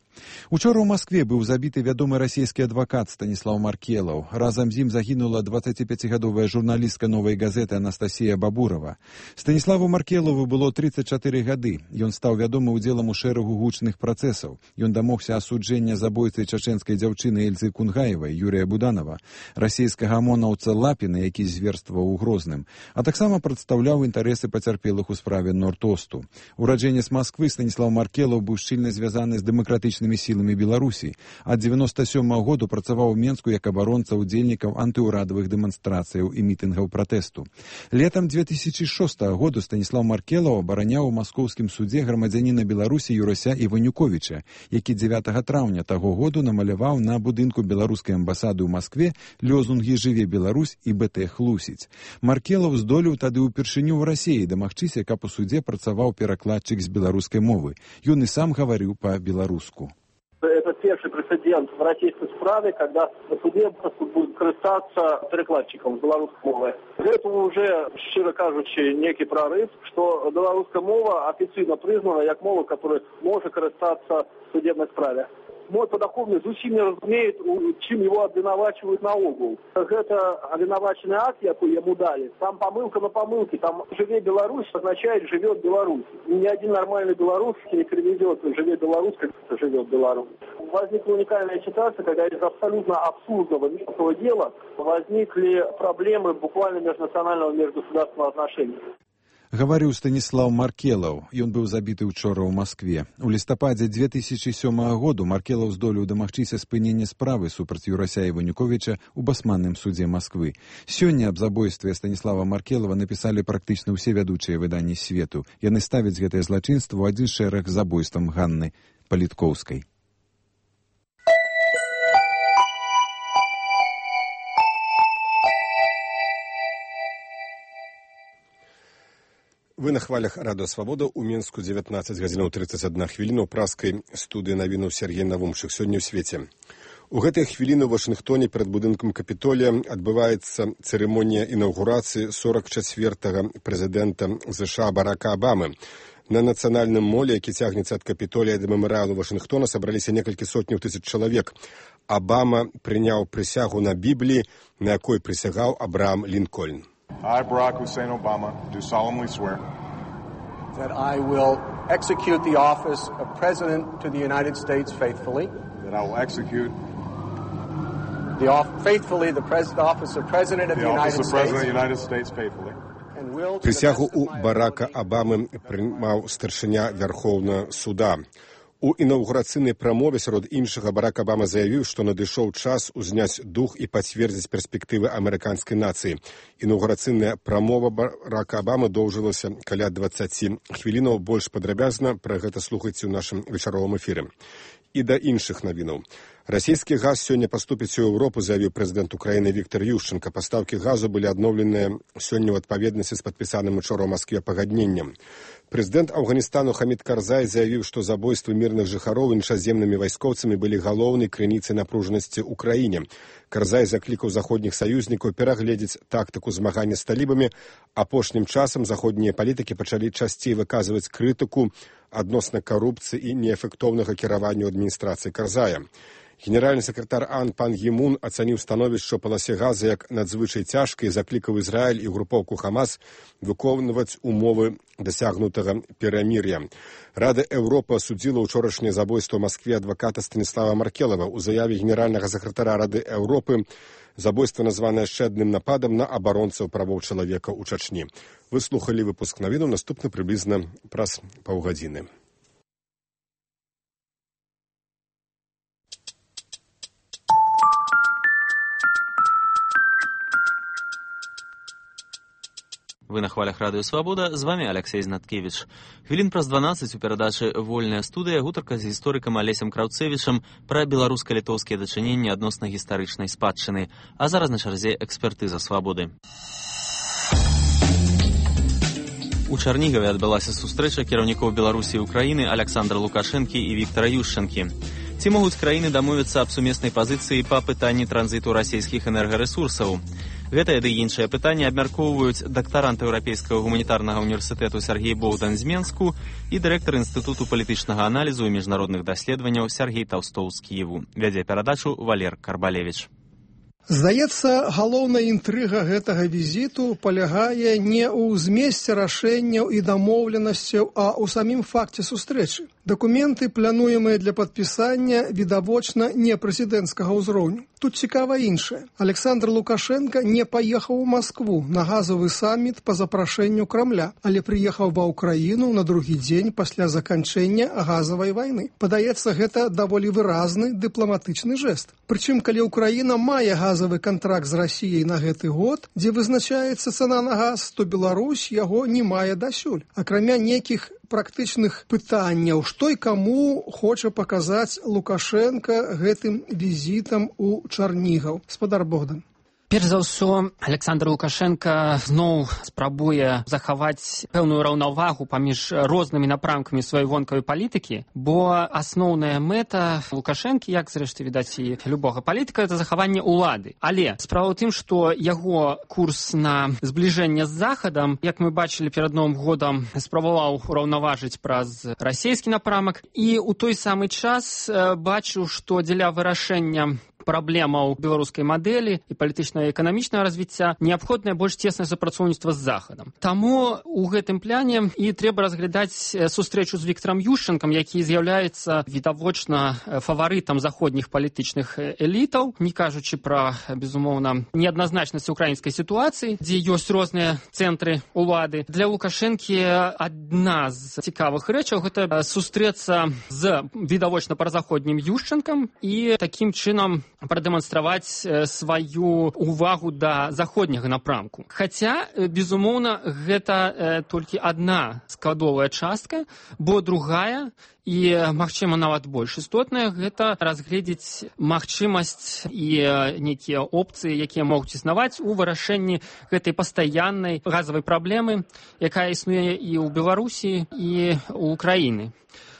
Учора ў Маскве быў забіты вядомы расійскі адвакат Станіслаў Маркелаў. Разам з ім загінула 25-гадовая журналістка «Новай газеты» Анастасія Бабурова. Станіславу Маркелаву было 34 гады. Ён стаў вядомы ўдзелам у шэрагу гучных працэсаў. Ён дамогся асуджэння забойцы чачэнскай дзяўчыны Эльзы Кунгаевай, Юрія Буданова, расійскага ОМОНаўца Лапіна, які зверстваваў у Грозным, а таксама прадстаўляў інтарэсы пацярпелых у справе справе Норд-Осту. Ураджэнец Масквы Станіслав Маркелаў быў шчыльна звязаны з дэмакратычнымі сіламі Беларусі. Ад 97-го году працаваў у Менску як абаронца удзельнікаў антыўрадавых дэманстрацыяў і мітынгаў пратэсту. Летам 2006 году Станіслав Маркелаў абараняў у маскоўскім судзе грамадзяніна Беларусі Юрася Іванюковіча, які 9 траўня таго году намаляваў на будынку беларускай амбасады ў Маскве лёзунгі «Жыве Беларусь» і «БТ Хлусіць». Маркелаў здолеў тады ўпершыню ў Расіі дамагчыся, каб у судзе працаваў перакладчык з беларускай мовы. Ён і сам гаварыў па-беларуску. Это первый прецедент в российской справе, когда на суде будет користаться перекладчиком белорусской мовы. Это уже, щиро кажучи, некий прорыв, что белорусская мова официально признана как мова, которая может користаться в судебной справе. Мой подоходный зусім не разумеет, чим его обвинувачивают на угол. Это обвинуваченный акт, який ему дали. Там помылка на помылке. Там «Живе Беларусь» означает «Живет Беларусь». И ни один нормальный белорус не переведет «Живе Беларусь», как «Живет Беларусь». Возникла уникальная ситуация, когда из абсолютно абсурдного мелкого дела возникли проблемы буквально межнационального, межгосударственного отношения. Гаварыў Станіслав Маркелаў. Ён быў забіты ўчора ў Маскве. У лістападзе 2007 году Маркелаў здолеў дамагчыся спынення справы супраць Юрася Іванюковіча ў басманным судзе Масквы. Сёння аб забойстве Станіслава Маркелава напісалі практычна ўсе вядучыя выданні свету. Яны ставяць гэтае злачынства ў адзін шэраг з забойствам Ганны Паліткоўскай. Вы на хвалях Радыё Свабода. У Мінску 19 гадзінаў 31 хвіліна. У праскай студыі навінаў Сергей Навумчык. Сёння ў свеце. У гэтыя хвіліны ў Вашынгтоне перад будынкам Капітолія адбываецца цырымонія інаўгурацыі 44-го прэзідэнта США Барака Абамы. На нацыянальным моле, які цягнецца ад Капітолія да мемарыялу Вашынгтона, сабраліся некалькі сотняў тысяч чалавек. Абама прыняў прысягу на Бібліі, на якой прысягаў Абрахам Лінкольн. I, Barack Hussein Obama, do solemnly swear that I will execute the office of President to the United States faithfully. That I will execute faithfully the office of President of the United States faithfully. Присягу у Барака Абамы прымаў старшыня Вярхоўнага суда. У інаўгурацыйнай прамове сярод іншага Барак Абама заявіў, што надышоў час узняць дух і пацвердзіць перспектывы амерыканскай нацыі. Інаўгурацыйная прамова Барака Абамы доўжылася каля 20 хвілінаў. Больш падрабязна пра гэта слухайце ў нашым вечаровым эфіры. І да іншых навінаў. Расійскі газ сёння паступіць у Еўропу, заявіў прэзідэнт Украіны Віктор Ющенко. Пастаўкі газу былі адноўленыя сёння ў адпаведнасці з падпісаным учора ў Маскве пагадненнем. Прэзідэнт Афганістану Хамід Карзай заявіў, што забойствы мірных жыхароў іншаземнымі вайскоўцамі былі галоўнай крыніцай напружанасці ў краіне. Карзай заклікаў заходніх саюзнікаў перагледзець тактыку змагання з талібамі. Апошнім часам заходнія палітыкі пачалі часцей выказваць крытыку адносна карупцыі і неэфектыўнага кіравання адміністрацыі Карзая. Генеральны сакратар АН пан Гі Мун ацаніў становішча ў паласе газа як надзвычай цяжкай і заклікаў Ізраіль і групоўку Хамас выконваць умовы дасягнутага перамір'я. Рада Еўропы асудзіла ўчорашняе забойство ў Маскве адваката Станіслава Маркелава. У заяве генеральнага сакратара Рады Еўропы забойство названае яшчэ адным нападам на абаронцаў правоў чалавека ў Чачні. Вы слухалі выпуск навінаў, наступны прыблізна праз паўгадзіны. Вы на хвалях Радыё Свабода, з вами Алексей Знаткевич. Хвілін праз 12 у перадачы «Вольная студыя» гутарка з гісторыкам Алесем Краўцевічам пра беларуска-літоўскія дачыненні адносна гістарычнай спадчыны. А зараз на чарзе экспертыза свабоды. У Чарнігаве адбылася сустрэча кіраўнікоў Беларусі і Украіны Аляксандра Лукашэнкі і Віктара Ющэнкі. Ці могуць краіны дамовіцца аб сумеснай пазіцыі па пытанні транзіту расійскіх энергарэсурсаў? Гэтае ды іншае пытанне абмяркоўваюць дактарант Еўрапейскага гуманітарнага універсітэту Сергей Боўдан з Менску і дырэктар Інстытуту палітычнага аналізу і міжнародных даследаванняў Сергей Таўстоў з Кіеву. Вядзе перадачу Валер Карбалевіч. Здаецца, галоўная інтрыга гэтага візіту палягае не ў змесце рашэнняў і дамоўленасцяў, а ў самім факце сустрэчы. Дакументы, плануемыя для падпісання, відавочна не прэзідэнцкага ўзроўню. Тут цікава іншае. Александр Лукашенко не паехаў у Маскву на газовы саміт па запрашэнню Крамля, але прыехаў ва Ўкраіну на другі дзень пасля заканчэння газавай вайны. Падаецца, гэта даволі выразны дыпламатычны жэст. Прычым, калі Ўкраіна мае газавы кантракт з Расіяй на гэты год, дзе вызначаецца цана на газ, то Беларусь яго не мае дасюль. Акрамя нейкіх практычных пытанняў, што і каму хоча паказаць Лукашенко гэтым візітам у Чарнігаў. Спадар Богдан. Перш за ўсё, Александр Лукашенко зноў спрабуе захаваць пэўную раўнавагу паміж рознымі напрамкамі сваёй вонкавай палітыкі, бо асноўная мэта Лукашэнкі, як зрэшты відаць і любога палітыка, это захаванне ўлады. Але справа ў тым, што яго курс на збліжэнне з Захадам, як мы бачылі перад Новым годам, спрабаваў ураўнаважыць праз расійскі напрамак, і ў той самы час бачыў, што дзеля вырашэння праблемаў беларускай мадэлі і палітычнага і эканамічнага развіцця неабходнае больш цеснае супрацоўніцтва з Захадам. Таму ў гэтым пляне і трэба разглядаць сустрэчу з Віктарам Ющэнкам, які з'яўляецца відавочна фаварытам заходніх палітычных элітаў, не кажучы пра, безумоўна, неадназначнасць украінскай сітуацыі, дзе ёсць розныя цэнтры ўлады. Для Лукашэнкі адна з цікавых рэчаў гэта сустрэцца з відавочна празаходнім Ющэнкам і такім чынам прадэманстраваць сваю увагу да заходняга напрамку. Хаця, безумоўна, гэта толькі адна складовая частка, бо другая і, магчыма, нават больш істотная, гэта разгледзець магчымасць і нейкія опцыі, якія могуць існаваць у вырашэнні гэтай пастаяннай газавай праблемы, якая існуе і ў Беларусі, і ў Украіны.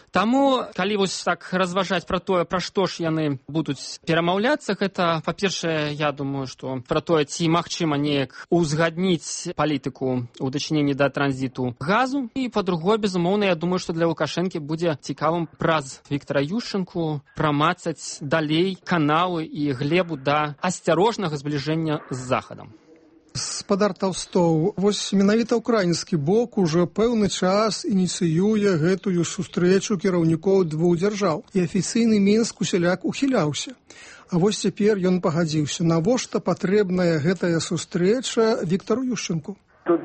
Таму, калі вось так разважаць пра тое, пра што ж яны будуць перамаўляцца, гэта, па-першае, я думаю, што пра тое, ці магчыма неяк узгадніць палітыку ў дачыненні да транзіту газу, і, па-другое, безумоўна, я думаю, што для Лукашэнкі будзе цікавым праз Віктара Ющэнку прамацаць далей каналы і глебу да асцярожнага збліжэння з Захадам. Спадар Таўстоў, вось менавіта ўкраінскі бок ужо пэўны час ініцыюе гэтую сустрэчу кіраўнікоў двух дзяржаў, і афіцыйны Мінск усяляк ухіляўся. А вось цяпер ён пагадзіўся. Навошта патрэбная гэтая сустрэча Віктару Ющэнку? Тут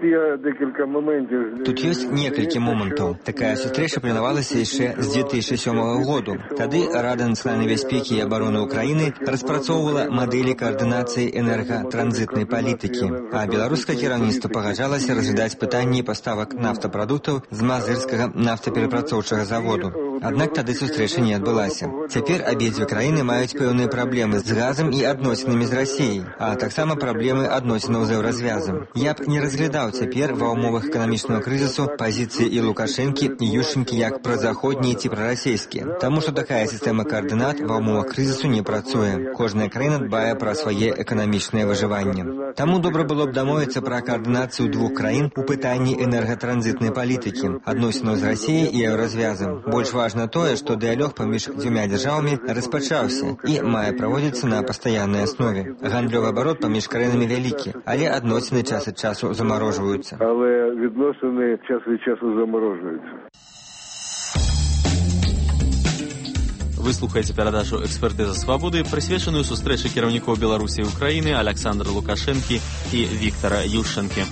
ёсць некалькі момантаў. Такая сустрэча планавалася яшчэ з 2007 году. Тады Рада нацыянальнай бяспекі і абароны Украіны распрацоўвала мадэлі каардынацыі энергатранзітнай палітыкі, а беларускае кіраўніцтва пагаджалася разглядаць пытанні паставак нафтапрадуктаў з мазырскага нафтаперапрацоўчага заводу. Аднак тады сустрэча не адбылася. Цяпер абедзве краіны маюць пэўныя праблемы з газам і адносінамі з Расіяй, а таксама праблемы адносінаў з еўразвязам. Я б не разглядаў цяпер ва ўмовах эканамічнага крызісу пазіцыі і Лукашэнкі, і Ющэнкі як празаходнія ці прарасійскія. Таму што такая сістэма каардынат ва ўмовах крызісу не працуе. Кожная краіна дбае пра свае эканамічнае выжыванне. Таму добра было б дамовіцца пра каардынацыю двух краін у пытанні энергатранзітнай палітыкі, адносінаў з Расіяй і еўразвязам. Больш важна тое, што дыялог паміж дзвюма дзяржавамі распачаўся і мае праводзіцца на пастаяннай аснове. Гандлёвы абарот паміж краінамі вялікі, але адносіны час ад часу замарожваюцца. Але відносини час від часу заморожуються. Вы слухаеце перадачу «Экспертыза свабоды», прысвечаную сустрэчы кіраўнікоў Беларусі і Украіны Александра Лукашэнкі і Віктара Ющэнкі.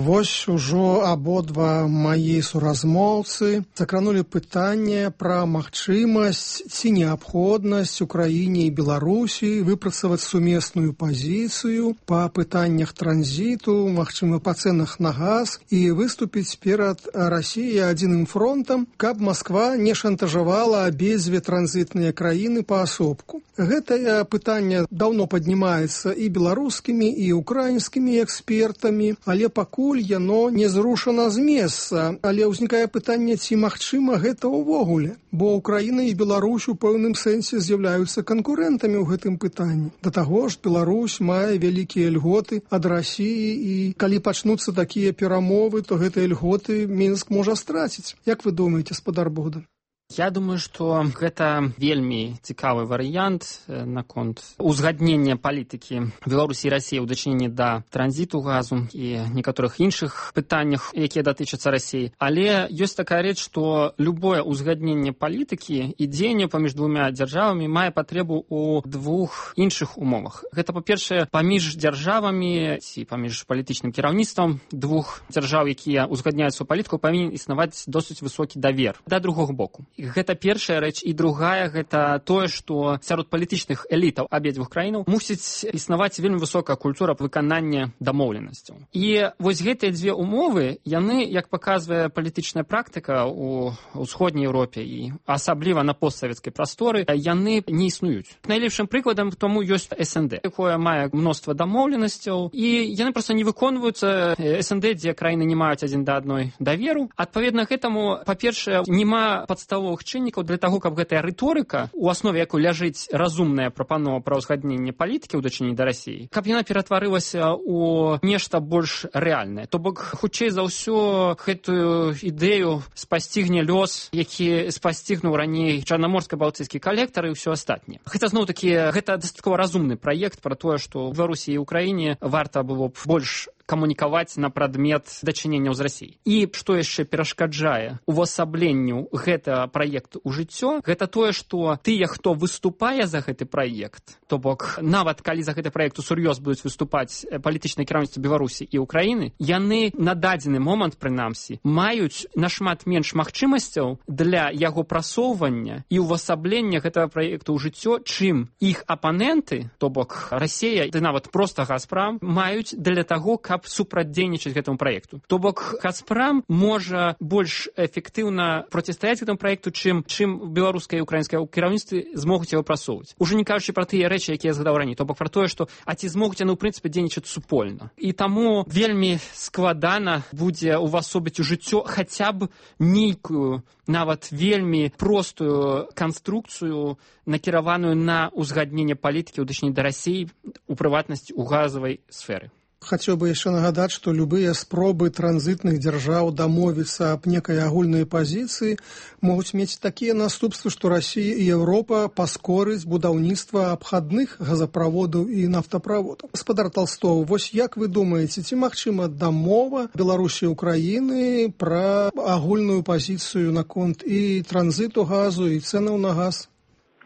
Вось ужо абодва мае суразмоўцы закранулі пытанне пра магчымасць ці неабходнасць Украіне і Беларусі выпрацаваць сумесную пазіцыю па пытаннях транзіту, магчыма, па цэнах на газ і выступіць перад Расіяй адзіным фронтам, каб Масква не шантажавала абедзве транзітныя краіны паасобку. Гэтае пытанне даўно паднімаецца і беларускімі, і украінскімі экспертамі, але пакуль яно не зрушана з месца. Але ўзнікае пытанне, ці магчыма гэта ўвогуле, бо Украіна і Беларусь у пэўным сэнсе з'яўляюцца канкурэнтамі ў гэтым пытанні. Да таго ж, Беларусь мае вялікія льготы ад Расіі, і калі пачнуцца такія перамовы, то гэтыя льготы Мінск можа страціць. Як вы думаеце, спадар Богдан? Я думаю, што гэта вельмі цікавы варыянт наконт узгаднення палітыкі Беларусі і Расіі ў дачыненні да транзіту газу і некаторых іншых пытаннях, якія датычацца Расіі. Але ёсць такая рэч, што любое узгадненне палітыкі і дзеянне паміж двумя дзяржавамі мае патрэбу ў двух іншых умовах. Гэта, па-першае, паміж дзяржавамі ці паміж палітычным кіраўніцтвам двух дзяржаў, якія узгадняюць сваю палітыку, павінен існаваць досыць высокі давер да другога боку. Гэта першая рэч. І другая, гэта тое, што сярод палітычных элітаў абедзвюх краінаў мусіць існаваць вельмі высокая культура выканання дамоўленасцяў. І вось гэтыя дзве умовы, яны, як паказвае палітычная практыка ў ўсходняй Еўропе і асабліва на постсавецкай прасторы, яны не існуюць. Найлепшым прыкладам тому ёсць СНД, якое мае мноства дамоўленасцяў, і яны проста не выконваюцца. СНД, дзе краіны не маюць адзін да адной даверу. Адпаведна гэтаму, па-першае, няма падставовых чыннікаў для таго, каб гэтая рыторыка, у аснове якой ляжыць разумная прапанова пра ўзгадненне палітыкі ў дачыненні да Расіі, каб яна ператварылася ў нешта больш рэальнае. То бок, хутчэй за ўсё, гэтую ідэю спасцігне лёс, які спасцігнуў раней чарнаморска-балтыйскі калектар і ўсё астатняе. Хаця, зноў-такі, гэта дастаткова разумны праект пра тое, што ў Беларусі і Украіне варта было б больш камунікаваць на прадмет дачыненняў з Расіяй. І што яшчэ перашкаджае увасабленню гэтага праекту ў жыццё, гэта тое, што тыя, хто выступае за гэты праект, то бок нават калі за гэты праект усур'ёз будуць выступаць палітычнае кіраўніцтва Беларусі і Украіны, яны на дадзены момант, прынамсі, маюць нашмат менш магчымасцяў для яго прасоўвання і увасаблення гэтага праекту ў жыццё, чым іх апаненты, то бок Расія, ды нават проста Газпрам, маюць для таго, каб супрацьдзейнічаць гэтаму праекту. То бок Газпрам можа больш эфектыўна процістаяць гэтаму праекту, чым беларускае і украінскае кіраўніцтвы змогуць яго прасоўваць. Ужо не кажучы пра тыя рэчы, якія я згадаў раней, то бок пра тое, што ці змогуць яны ў прынцыпе дзейнічаць супольна. І таму вельмі складана будзе увасобіць у жыццё хаця б нейкую, нават вельмі простую канструкцыю, накіраваную на ўзгадненне палітыкі ў дачыненні да Расіі, у прыватнасці ў газавай сферы. Хацеў бы яшчэ нагадаць, што любыя спробы транзітных дзяржаў дамовіцца аб некай агульнай пазіцыі могуць мець такія наступствы, што Расія і Еўропа паскорыць будаўніцтва абхадных газаправодаў і нафтаправодаў. Гаспадар Толстов, вось як вы думаеце, ці магчыма дамова Беларусі і Украіны пра агульную пазіцыю наконт і транзіту газу, і цэнаў на газ?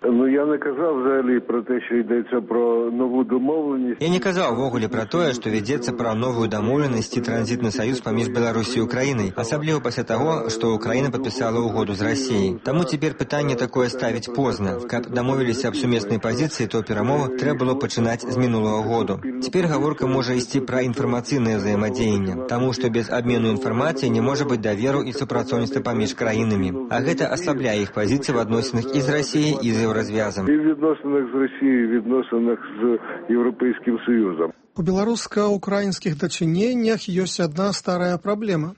Ну, я не казав взагалі про те, що йдеться про нову домовленість. Я не казав ввогуле про тое, што вядзецца пра новую дамоўленасць і транзітны саюз паміж Беларусі і Украінай, асабліва пасля таго, што Украіна падпісала ўгоду з Расіяй. Таму цяпер пытанне такое ставіць позна. Каб дамовіліся аб сумеснай пазіцыі, то перамовы трэба было пачынаць з мінулага году. Цяпер гаворка можа ісці пра інфармацыйнае ўзаемадзеянне, таму што без абмену інфармацыі не можа быць даверу і супрацоўніцтва паміж краінамі. А гэта аслабляе іх пазіцыі в адносінах і з Расіяй, і з Еўразвязам. І в відносинах з Росією, в відносинах з Європейським Союзом. У беларуска-украінскіх дачыненнях ёсць адна старая праблема.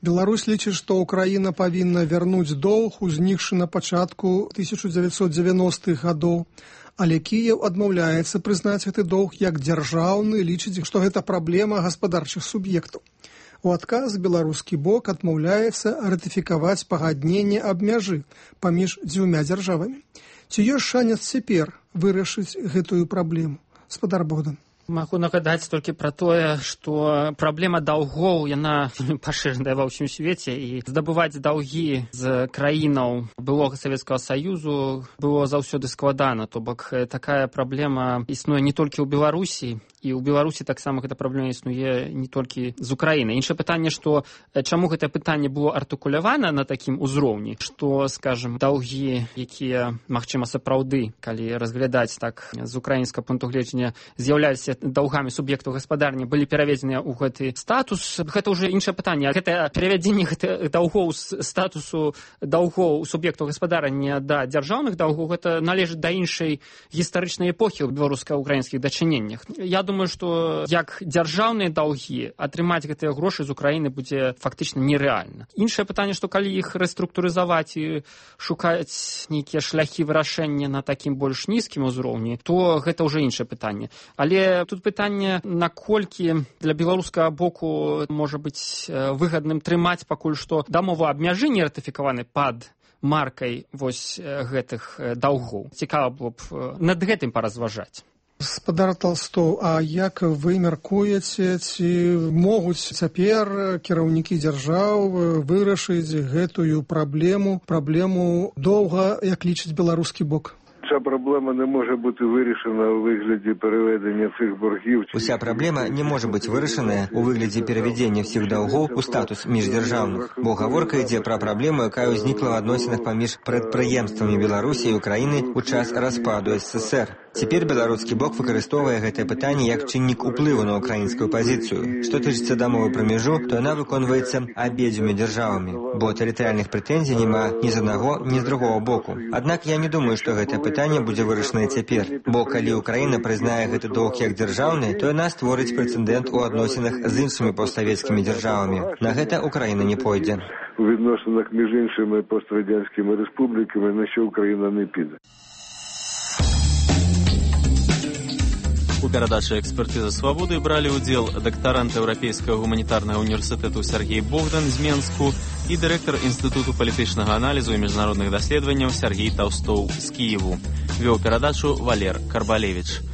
Беларусь лічыць, што Украіна павінна вярнуць доўг, узнікшы на пачатку 1990-х гадоў, але Кіеў адмаўляецца прызнаць гэты доўг як дзяржаўны, лічыць, што гэта праблема гаспадарчых суб'ектаў. У адказ беларускі бок адмаўляецца ратыфікаваць пагадненне аб мяжы паміж дзвюма дзяржавамі. Ці ёсць шанец цяпер вырашыць гэтую праблему? Гаспадар Богдан. Магу нагадаць толькі пра тое, што праблема даўгоў, яна пашыраная ва ўсім свеце, і здабываць даўгі з краінаў былога Савецкага Саюзу было заўсёды складана. То бок такая праблема існуе не толькі ў Беларусі, і ў Беларусі таксама гэта праблема існуе не толькі з Украіны. Іншае пытанне, што чаму гэтае пытанне было артыкулявана на такім узроўні, што, скажам, даўгі, якія, магчыма, сапраўды, калі разглядаць так з украінскага пункту гледжання, з'яўляліся даўгамі суб'ектаў гаспадарні, былі пераведзеныя ў гэты статус. Гэта ўжо іншае пытанне. Гэта перавядзенне гэтых даўгоў з статусу даўгоў суб'ектаў гаспадарання да дзяржаўных даўгоў, гэта належыць да іншай гістарычнай эпохі ў беларуска-украінскіх дачыненнях. Я думаю, што як дзяржаўныя даўгі атрымаць гэтыя грошы з Украіны будзе фактычна нерэальна. Іншае пытанне, што калі іх рэструктурызаваць і шукаць нейкія шляхі вырашэння на такім больш нізкім узроўні, то гэта ўжо іншае пытанне. Але тут пытанне, наколькі для беларускага боку можа быць выгадным трымаць пакуль што дамову аб мяжы не ратыфікаваны пад маркай вось гэтых даўгоў. Цікава было б над гэтым паразважаць. Спадар Толстоў, а як вы мяркуеце, ці могуць цяпер кіраўнікі дзяржаў вырашыць гэтую праблему доўга, як лічыць беларускі бок? Ця проблема не може бути вирішена у вигляді переведення цих боргів. Уся праблема не може бути вирішена у вигляді переведення всіх долгов у статус міждержавних, бо гаворка йде про проблему, яка узнікла в відносинах поміж підприємствами Білорусі і України у час розпаду СССР. Цяпер беларускі бок выкарыстоўвае гэтае пытанне як чыннік уплыву на украінскую пазіцыю. Што тычыцца дамовы пра мяжу, то яна выконваецца абедзвюма дзяржавамі, бо тэрытарыяльных прэтэнзій няма ні з аднаго, ні з другого боку. Аднак я не думаю, што гэтае пытанне будзе вырашанае цяпер, бо калі Украіна прызнае гэты доўг як дзяржаўны, то яна створыць прэцэдэнт у адносінах з іншымі постсавецкімі дзяржавамі. На гэта Украіна не пойдзе. У відносинах між іншими пострадянськими республіками, на що Україна не піде. У перадачы «Экспертыза свабоды» бралі ўдзел дактарант Еўрапейскага гуманітарнага універсітэту Сергей Богдан з Менску і дырэктар Інстытуту палітычнага аналізу і міжнародных даследаванняў Сергей Таўстоў з Кіеву. Вёў перадачу Валер Карбалевіч.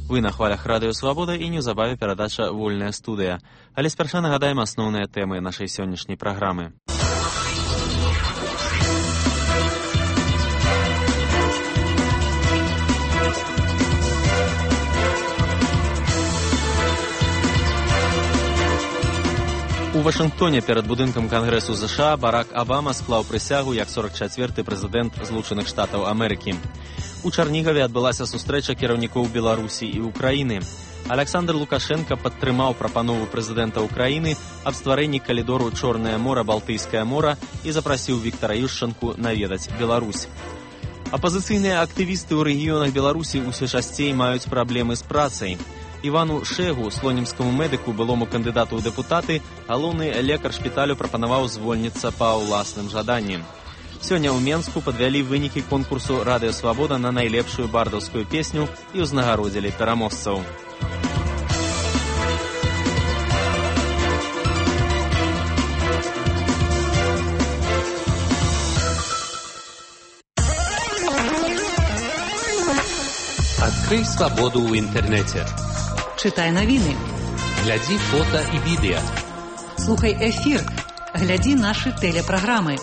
Вы на хвалях радыё «Свабода» і неўзабаве перадача «Вольная студыя». Але спярша нагадаем асноўныя тэмы нашай сённяшняй праграмы. У Вашынгтоне перад будынкам Кангрэсу ЗША Барак Абама склаў прысягу як 44-й прэзідэнт Злучаных Штатаў Амерыкі. У Чарнігаве адбылася сустрэча кіраўнікоў Беларусі і Украіны. Александр Лукашенко падтрымаў прапанову прэзідэнта Украіны аб стварэнні калідору Чорнае мора, Балтыйскае мора і запрасіў Віктара Ющанку наведаць Беларусь. Апазіцыйныя актывісты ў рэгіёнах Беларусі ўсё часцей маюць праблемы з працай. Івану Шэгу, слонімскаму медыку, былому кандыдату ў дэпутаты, галоўны лекар шпіталю прапанаваў звольніцца па ўласным жаданні. Сёння ў Менску падвялі вынікі конкурсу «Радыё Свабода» на найлепшую бардаўскую песню і ўзнагародзілі пераможцаў. Открой свободу в интернете. Читай новины. Гляди фото и видео. Слухай эфир. Гляди наши телепрограммы.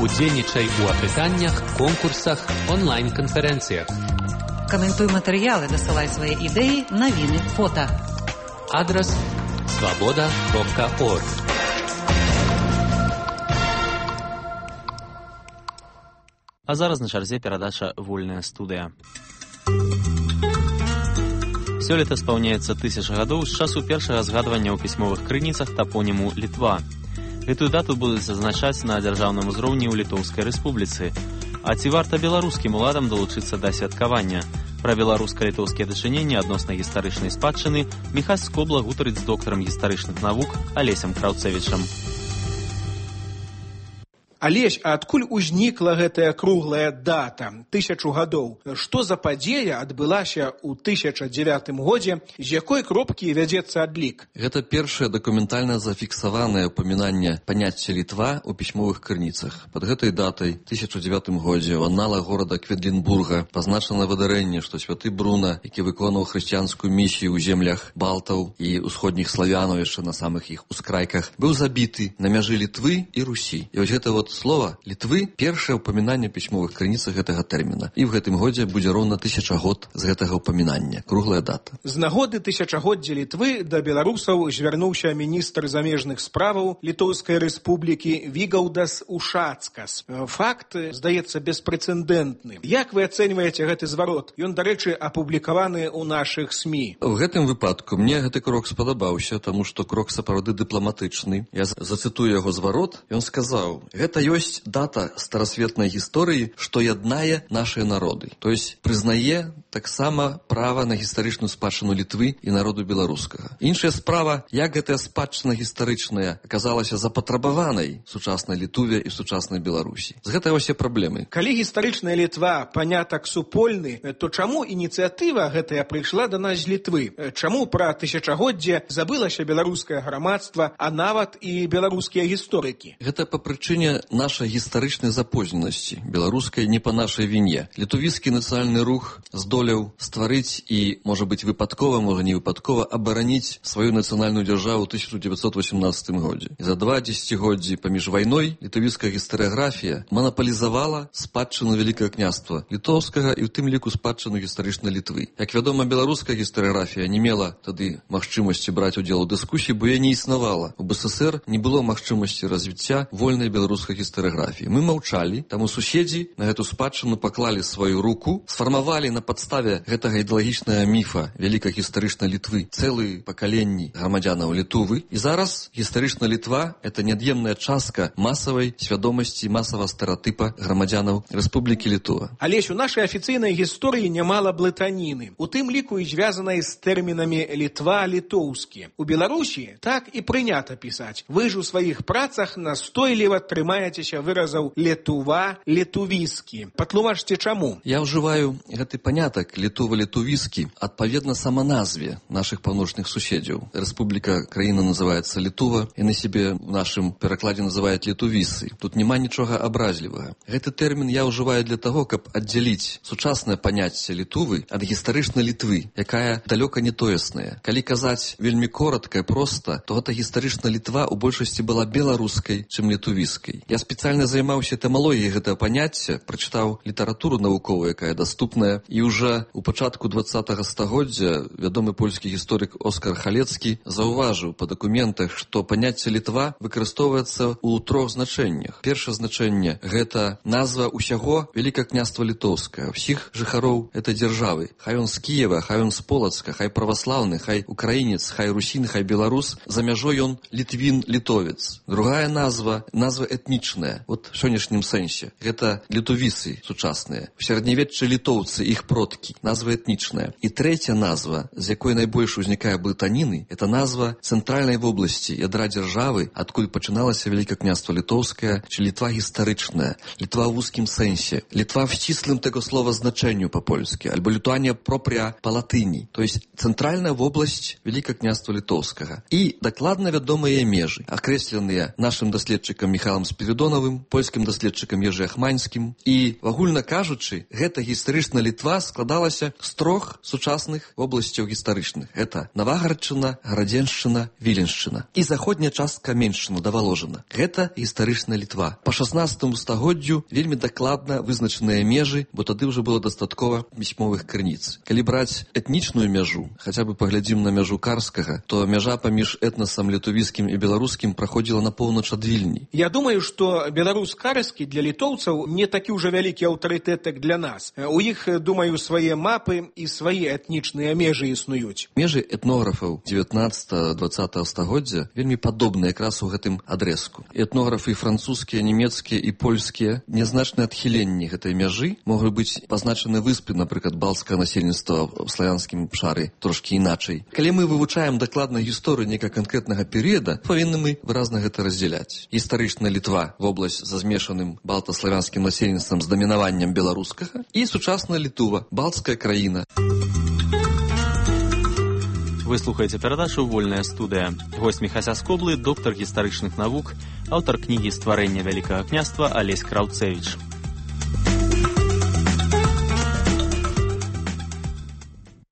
Удзельнічай у апытаннях, конкурсах, онлайн-конференциях. Комментуй материалы, досылай свои идеи, новины, фото. Адрес svoboda.org. А зараз на чарзе перадача «Вольная студыя». Сёлета спаўняецца 1000 гадоў з часу першага згадвання ў пісьмовых крыніцах тапоніму Літва. Гэтую дату будуць зазначаць на дзяржаўным узроўні ў Літоўскай рэспубліцы. А ці варта беларускім уладам далучыцца да святкавання? Пра беларуска-літоўскія дачыненні адносна гістарычнай спадчыны Міхась Скобла гутарыць з доктарам гістарычных навук Алесем Краўцэвічам. Алесь, а адкуль узнікла гэтая круглая дата 1000 гадоў? Што за падзея адбылася ў 1009 годзе, з якой кропкі вядзецца адлік? Гэта першае дакументальна зафіксаванае ўпамінанне паняцця Літва ў пісьмовых крыніцах. Пад гэтай датай 1009 годзе ў анналах горада Кведлінбурга пазначана выдарэнне, што святы Бруна, які выконваў хрысціянскую місію ў землях балтаў і ўсходніх славянаў яшчэ на самых іх ускрайках, быў забіты на мяжы Літвы і Русі. І вось гэта слова Літвы першае ўпамінанне ў пісьмовых крыніцах гэтага тэрміна. І в гэтым годзе будзе роўна 1000 год з гэтага ўпамінання. Круглая дата. З нагоды 1000годдзя Літвы да беларусаў звярнуўся міністр замежных справаў Літоўскай рэспублікі Вігаўдас Ушацкас. Факт, здаецца, беспрэцэдэнтны. Як вы ацэньваеце гэты зварот? Ён, дарэчы, апублікаваны ў нашых СМІ. У гэтым выпадку мне гэты крок спадабаўся, таму што крок сапраўды дыпламатычны. Я зацытую яго зварот. Ён сказаў: гэта ёсць дата старасветнай гісторыі, што яднае нашыя народы. То есть прызнае таксама права на гістарычную спадчыну Літвы і народу беларускага. Іншая справа, як гэтая спадчына гістарычная аказалася запатрабаванай сучаснай Літуве і сучаснай Беларусі. З гэтага ўсе праблемы. Калі гістарычная Літва панятак супольны, то чаму ініцыятыва гэтая прыйшла да нас з Літвы? Чаму пра тысячагоддзе забылася беларускае грамадства, а нават і беларускія гісторыкі? Гэта па прычыне нашай гістарычнай запозненасці, беларускай не па нашай віне. Літувійскі нацыянальны рух здолеў стварыць і, можа быць, выпадкова, можа не выпадкова, абараніць сваю нацыянальную дзяржаву ў 1918 годзе. І за 2 дзесяцігоддзі паміж вайной літувійская гістарыяграфія манаполізавала спадчыну Вялікага княства літоўскага і ў тым ліку спадчыну гістарычнай Літвы. Як вядома, беларуская гістарыяграфія не мела тады магчымасці браць удзел у дыскусіі, бо яе не існавала. У БССР не было магчымасці развіцця вольнай беларускай гістарыяграфіі. Мы маўчалі, таму суседзі на гэту спадчыну паклалі сваю руку, сфармавалі на падставе гэтага ідэалагічнага міфа вялікай гістарычнай Літвы цэлыя пакаленні грамадзянаў Літувы. І зараз гістарычная Літва – это неад'емная частка масавай свядомасці, масавага стэрэатыпа грамадзянаў Рэспублікі Літва. Алесь, у нашай афіцыйнай гісторыі нямала блытаніны, у тым ліку і звязанай з тэрмінамі Літва, літоўскі. У Беларусі так і прынята пісаць. Вы ж у сваіх працах настойліва трымаецеся выразаў Літува, літувіскі. Патлумачце, чаму? Я ўжываю гэты панятак Літува-літувіскі адпаведна саманазве нашых паўночных суседзяў. Рэспубліка, краіна называецца Літува, і на сябе в нашым перакладзе называюць літувісы. Тут няма нічога абразлівага. Гэты тэрмін я ўжываю для таго, каб аддзяліць сучаснае паняцце Літувы ад гістарычнай Літвы, якая далёка не тоесная. Калі казаць вельмі коротка і проста, то гэта гістарычная Літва ў большасці была беларускай, чым літувіскай. Я спецыяльна займаўся этымалогіяй гэтага паняцця, прачытаў літаратуру навуковую, якая даступная, і ўжо у пачатку 20-го стагоддзя вядомы польскі гісторык Оскар Халецкі заўважыў па дакументах, што паняцце Літва выкарыстоўваецца ў 3 значэннях. Першае значэнне – гэта назва ўсяго Вялікага княства Літоўскага, ўсіх жыхароў этой дзяржавы. Хай он з Кіева, хай он з Полацка, хай праваслаўны, хай украінец, хай русін, хай беларус, за мяжой он літвін, літовец. Другая назва этнічная, вот в сённяшнім сэнсе. Гэта літувісы сучасныя. У сярэднявеччы літоўцы, іх продкі. Назва этнічная. І трэця назва, з якой найбольш узнікае блытаніны, это назва цэнтральнай вобласці, ядра дзяржавы, адкуль пачыналася Вялікае княства Літоўскае, чи Літва гістарычная, Літва ў вузкім сэнсе, Літва в сціслым таго слова значэнню па-польскі, альбо Літуанія пропря па-латыні, то есть цэнтральная вобласць Вялікага княства Літоўскага. І дакладна вядомыя межы, акрэсленыя нашым даследчыкам Міхалам Спірідонавым, польскім даследчыкам Ежы Ахманскім. І, агульна кажучы, гэта гістарычная Літва складалася з 3 сучасных вобласцяў гістарычных. Гэта Навагарадчына, Градзеншчына, Віленшчына. І заходняя частка Меншчына да Валожына. Гэта гістарычная Літва. Па 16 стагоддзю вельмі дакладна вызначаныя межы, бо тады ўжо было дастаткова пісьмовых крыніц. Калі браць этнічную мяжу, хаця бы паглядзім на мяжу Карскага, то мяжа паміж этнасам літувійскім і беларускім праходзіла на поўнач ад Вільні. Я думаю, што беларус Карскі для літоўцаў не такі ўжо вялікі аўтарытэт, як для нас. У іх, думаю, свае мапы і свае этнічныя межы існуюць. Межы этнографаў 19-20 стагоддзя вельмі падобныя якраз у гэтым адрэзку. Этнографы французскія, нямецкія і польскія нязначныя адхіленні гэтай мяжы могуць быць пазначаны выспы, напрыклад, балцкага насельніцтва ў славянскім шары трошкі іначай. Калі мы вывучаем дакладна гісторыю некага канкрэтнага перыяда, павінны мы выразна гэта раздзяляць. Гістарычная Літва, вобласць за змешаным балта-славянскім насельніцтвам з дамінаваннем беларускага, і сучасная Літува, балцкая краіна. Вы слухаеце перадачу «Вольная студыя». Госць Міхася Скоблы, доктар гістарычных навук, аўтар кнігі «Стварэнне Вялікага княства» Алесь Краўцевіч.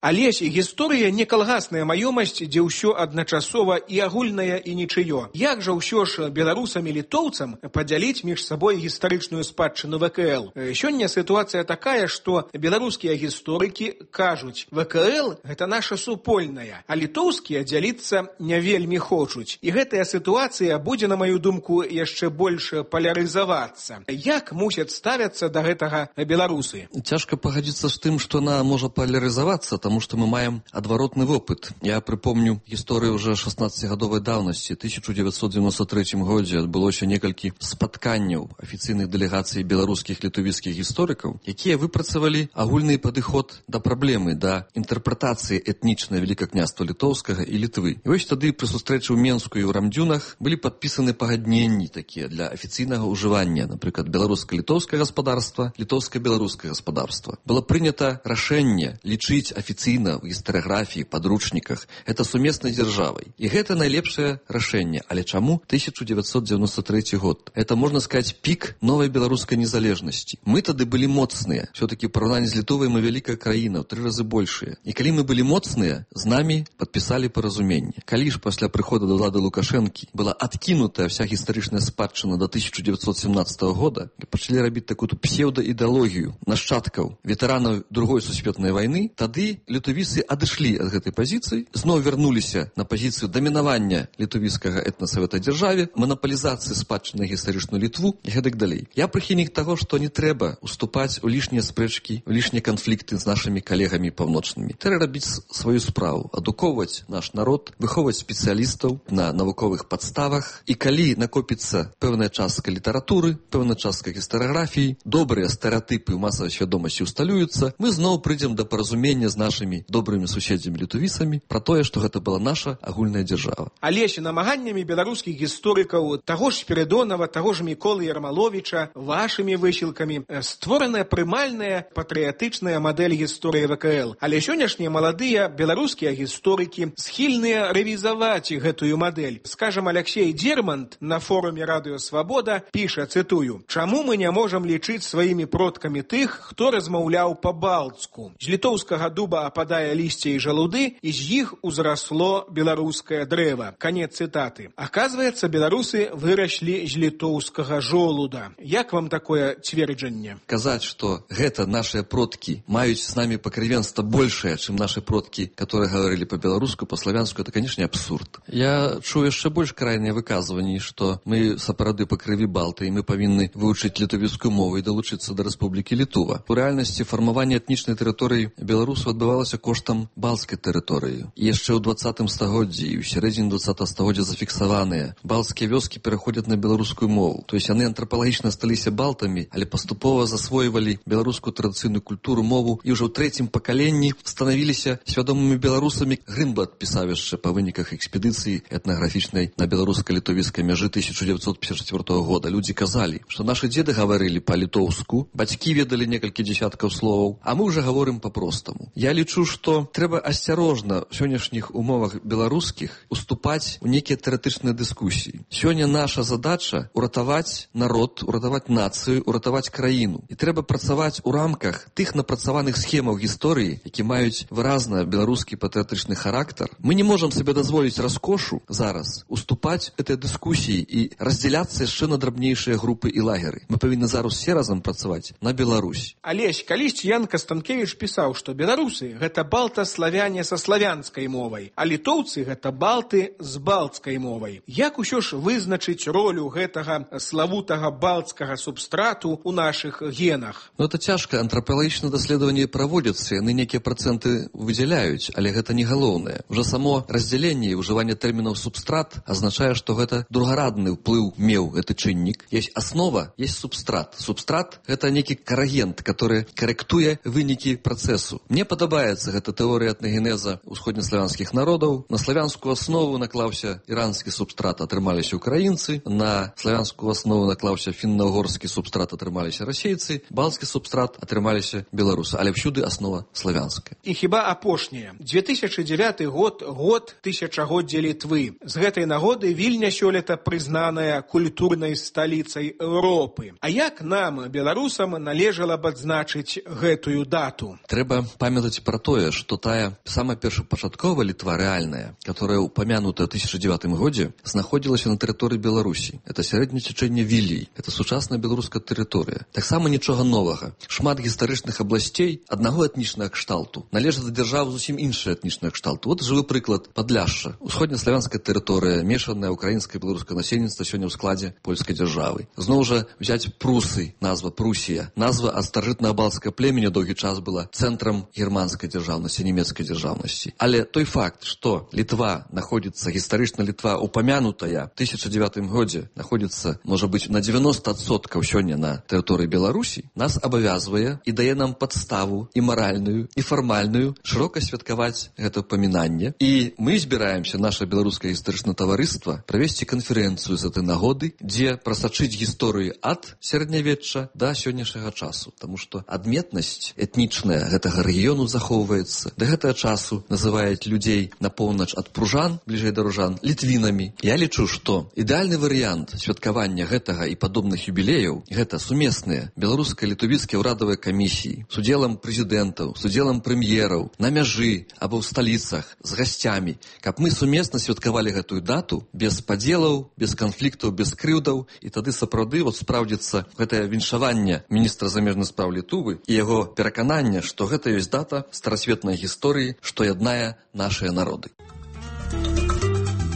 Алесь, гісторыя не калгасная маёмасць, дзе ўсё адначасова і агульнае, і нічыё. Як жа ўсё ж беларусам і літоўцам падзяліць між сабой гістарычную спадчыну ВКЛ? Сёння сітуацыя такая, што беларускія гісторыкі кажуць, ВКЛ – гэта наша супольная, а літоўскія дзяліцца не вельмі хочуць. І гэтая сітуацыя будзе, на маю думку, яшчэ больш палярызавацца. Як мусяць ставяцца да гэтага беларусы? Цяжка пагадзіцца з тым, што она можа палярызавацца, потому что мы маем адваротны вопыт. Я припомню гісторыю уже 16-гадовай даўнасці. 1993 годзе адбылося некалькі спатканняў афіцыйных дэлегацый беларускіх літувіцкіх гісторыкаў, якія выпрацавалі агульны падыход да праблемы, да інтэрпрэтацыі этнічнай великакняства літоўскага і Літвы. І вось тады пры сустрэчы ў Менску і ў Рамдзюнах былі падпісаны пагадненні такія для афіцыйнага ўжывання, напрыклад, беларуска-літоўскае гаспадарства, літоўска-беларускае гаспадарства. Было прынята рашэнне лічыць афіцыйна в гістарыяграфіі, падручніках это сумеснай дзяржавай. І гэта найлепшае рашэнне. Але чаму 1993 год? Это, можно сказать, пик новой белорусской незалежности. Мы тады были моцныя. Все-таки в параўнанні з Літовай мы великая краіна, в 3 разы большая. И калі мы были моцныя, з нами подписали паразуменне. Калі ж пасля прыхода до ўлады Лукашэнкі была откинутая вся гістарычная спадчына до 1917 года, и пачалі рабіць такую псевдоідэалогію нашчадкаў ветэранаў Другой сусветнай вайны, тады літовіцы адышлі ад гэтай пазіцыі, зноў вярнуліся на пазіцыю дамінавання літовіцкага этнаса в этой дзяржаве, монополизации спадчыны на гістарычную Літву і гэтак далей. Я прыхільнік таго, што не трэба уступаць у лішнія спрэчкі, у лішнія канфлікты з нашымі калегамі паўночнымі. Трэба рабіць сваю справу, адукоўваць наш народ, выхоўваць спецыялістаў на навуковых падставах. І калі накопіцца пэўная частка літаратуры, пэўная частка гістарыяграфіі, добрыя стэрэатыпы ў масавай свядомасці усталююцца, мы зноў прыйдзем да паразумення з нашымі добрымі суседзямі літовісамі пра тое, што гэта была наша агульная дзяржава. Алесь, намаганнямі беларускіх гісторыкаў, таго ж Спірыдонава, таго ж Міколы Ярмаловіча, вашымі высілкамі створаная прымальная патрыятычная мадэль гісторыі ВКЛ. Але сённяшнія маладыя беларускія гісторыкі схільныя рэвізаваць гэтую мадэль. Скажам, Алексей Дермант на форуме Радыё Свабода піша, цытую: «Чаму мы не можам лічыць сваімі продкамі тых, хто размаўляў па-балтску? З літоўскага дуба ападае лісце і жалуды, і з іх узрасло беларускае дрэва». Конец цытаты. Оказывается, беларусы выраслі з літоўскага жолуда. Як вам такое цверджанне? Казаць, што гэта нашыя продкі маюць з намі пакрывенства большае, чым нашы продкі, которые говорили по-беларуску, по-славянску, это, конечно, абсурд. Я чую яшчэ больш крайныя выказванні, што мы сапраўды па крыві балты, і мы павінны вывучыць літовіцкую мову і далучыцца да Рэспублікі Літува. У рэальнасці фармаванне этнічнай тэрыторыі беларусаў адбывалася коштам балтскай тэрыторыі. І яшчэ ў 20 стагоддзі і ў сярэдзіне 20 стагоддзя зафіксаваныя балтскія вёскі пераходзяць на беларускую мову. То есть яны антрапалагічна сталіся балтамі, але паступова засвойвалі беларускую традыцыйную культуру, мову, і ўжо ў 3-м пакаленні станавіліся свядомымі беларусамі. Грынблат пісаў яшчэ па выніках экспедыцыі этнаграфічнай на беларуска-літовіцкай мяжы 1954 года. Людзі казалі, што нашы дзеды гаварылі па-літоўску, бацькі ведалі некалькі дзесяткаў словаў, а мы ўжо гаворым па-простаму. Я лічу, што трэба асцярожна ў сённяшніх умовах беларускіх уступаць у нейкія тэарэтычныя дыскусіі. Сёння наша задача уратаваць народ, уратаваць нацыю, уратаваць краіну. І трэба працаваць у рамках тых напрацаваных схемаў гісторыі, які маюць выразна беларускі патрыятычны характар. Мы не можам сабе дазволіць раскошу зараз уступаць этой дыскусіі і раздзяляцца яшчэ на драбнейшыя групы і лагеры. Мы павінны зараз все разам працаваць на Беларусь. Алесь, калісьці Ян Кастанкевіч пісаў, што беларусы — гэта балта-славяне са славянскай мовай, а літоўцы — гэта балты з балтскай мовай. Як усё ж вызначыць ролю гэтага славутага балтскага субстрату ў нашых генах? Ну, это цяжка. Антрапалагічныя даследаванні праводзяцца, яны нейкія працэнты выдзяляюць, але гэта не галоўнае. Уже само раздзяленне і ўжыванне тэрмінаў субстрат азначае, што гэта другарадны ўплыў меў гэты чыннік. Есть аснова, есть субстрат. Субстрат — гэта нейкі карагент, который карэктуе вынікі працэсу. Мне падабаецца гэта тэорыя этнагенеза ўсходнеславянскіх народаў. На славянскую аснову наклаўся іранскі субстрат, атрымаліся украінцы, на славянскую аснову наклаўся фінна-угорскі субстрат, атрымаліся расейцы, балтскі субстрат, атрымаліся беларусы, але всюды аснова славянская. І хіба апошняе. 2009 год тысячагоддзя Літвы. З гэтай нагоды Вільня сёлета прызнаная культурнай сталіцай Еўропы. А як нам, беларусам, належала б адзначыць гэтую дату? Трэба памятаць пра тое, што тая самая першапачатковая Літва рэальная, которая упомянута ў 2009 годзе, знаходзілася на тэрыторыі Беларусі. Это сярэдняе цячэнне Вілій. Это сучасная беларуская тэрыторыя. Таксама нічога новага. Шмат гістарычных абласцей аднаго этнічнага кшталту належаць да дзяржаў зусім іншыя этнічнага кшталту. Вот жывы прыклад Падляшша. Усходнеславянская тэрыторыя, мешанае украінскае і беларускае насельніцтва сёння ў складзе польскай дзяржавы. Зноў жа взяць Прусы, назва Прусія. Назва ад старажытнага балцкага племені доўгі час была цэнтрам германскай амерыканскай дзяржаўнасці, нямецкай дзяржаўнасці. Але той факт, што Літва находится, гістарычна Літва упамянутая в 2009 годзе, находится, можа быць, на 90% сёння на тэрыторыі Беларусі, нас абавязвае і дае нам падставу і маральную, і фармальную шырока святкаваць гэта памінанне. І мы збіраемся, наша беларускае гістарычнае таварыства, правесці канферэнцыю з этой нагоды, дзе прасачыць гісторыю ад сярэднявечча да сённяшняга часу. Таму што адметнасць этнічная гэтага рэгіёну захоўваецца. Да гэтага часу называюць людзей на поўнач ад пружан, бліжэй да ружан, літвінамі. Я лічу, што ідэальны варыянт святкавання гэтага і падобных юбілеяў — гэта сумесныя беларуска-літвійскія ўрадавыя камісіі з удзелам прэзідэнтаў, з удзелам прэм'ераў, на мяжы або ў сталіцах, з гасцямі, каб мы сумесна святкавалі гэтую дату без падзелаў, без канфліктаў, без крыўдаў, і тады сапраўды спраўдзіцца гэтае віншаванне міністра замежных спраў Літвы і яго перакананне, што гэта ёсць дата старасветнай гісторыі, што яднае нашыя народы.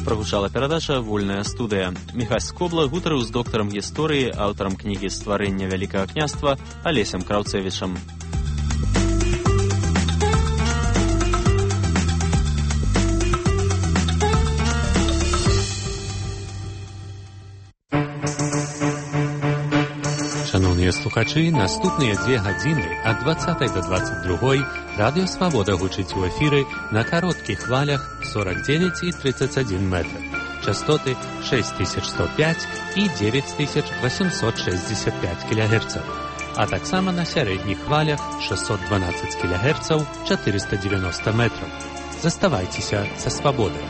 Прогучала перадача «Вольная студыя». Міхась Скобла гутарыў з доктарам гісторыі, аўтарам кнігі «Стварэнне Вялікага княства» Алесем Краўцевічам. Шановныя слухачы, наступныя 2 гадзіны ад 20 до 22 Радыё Свабода гучыць у эфіры на кароткіх хвалях 49 і 31 метр. Частоты 6105 і 9865 кГц. А таксама на сярэдніх хвалях 612 кГц 490 метров. Заставайцеся са Свабодай.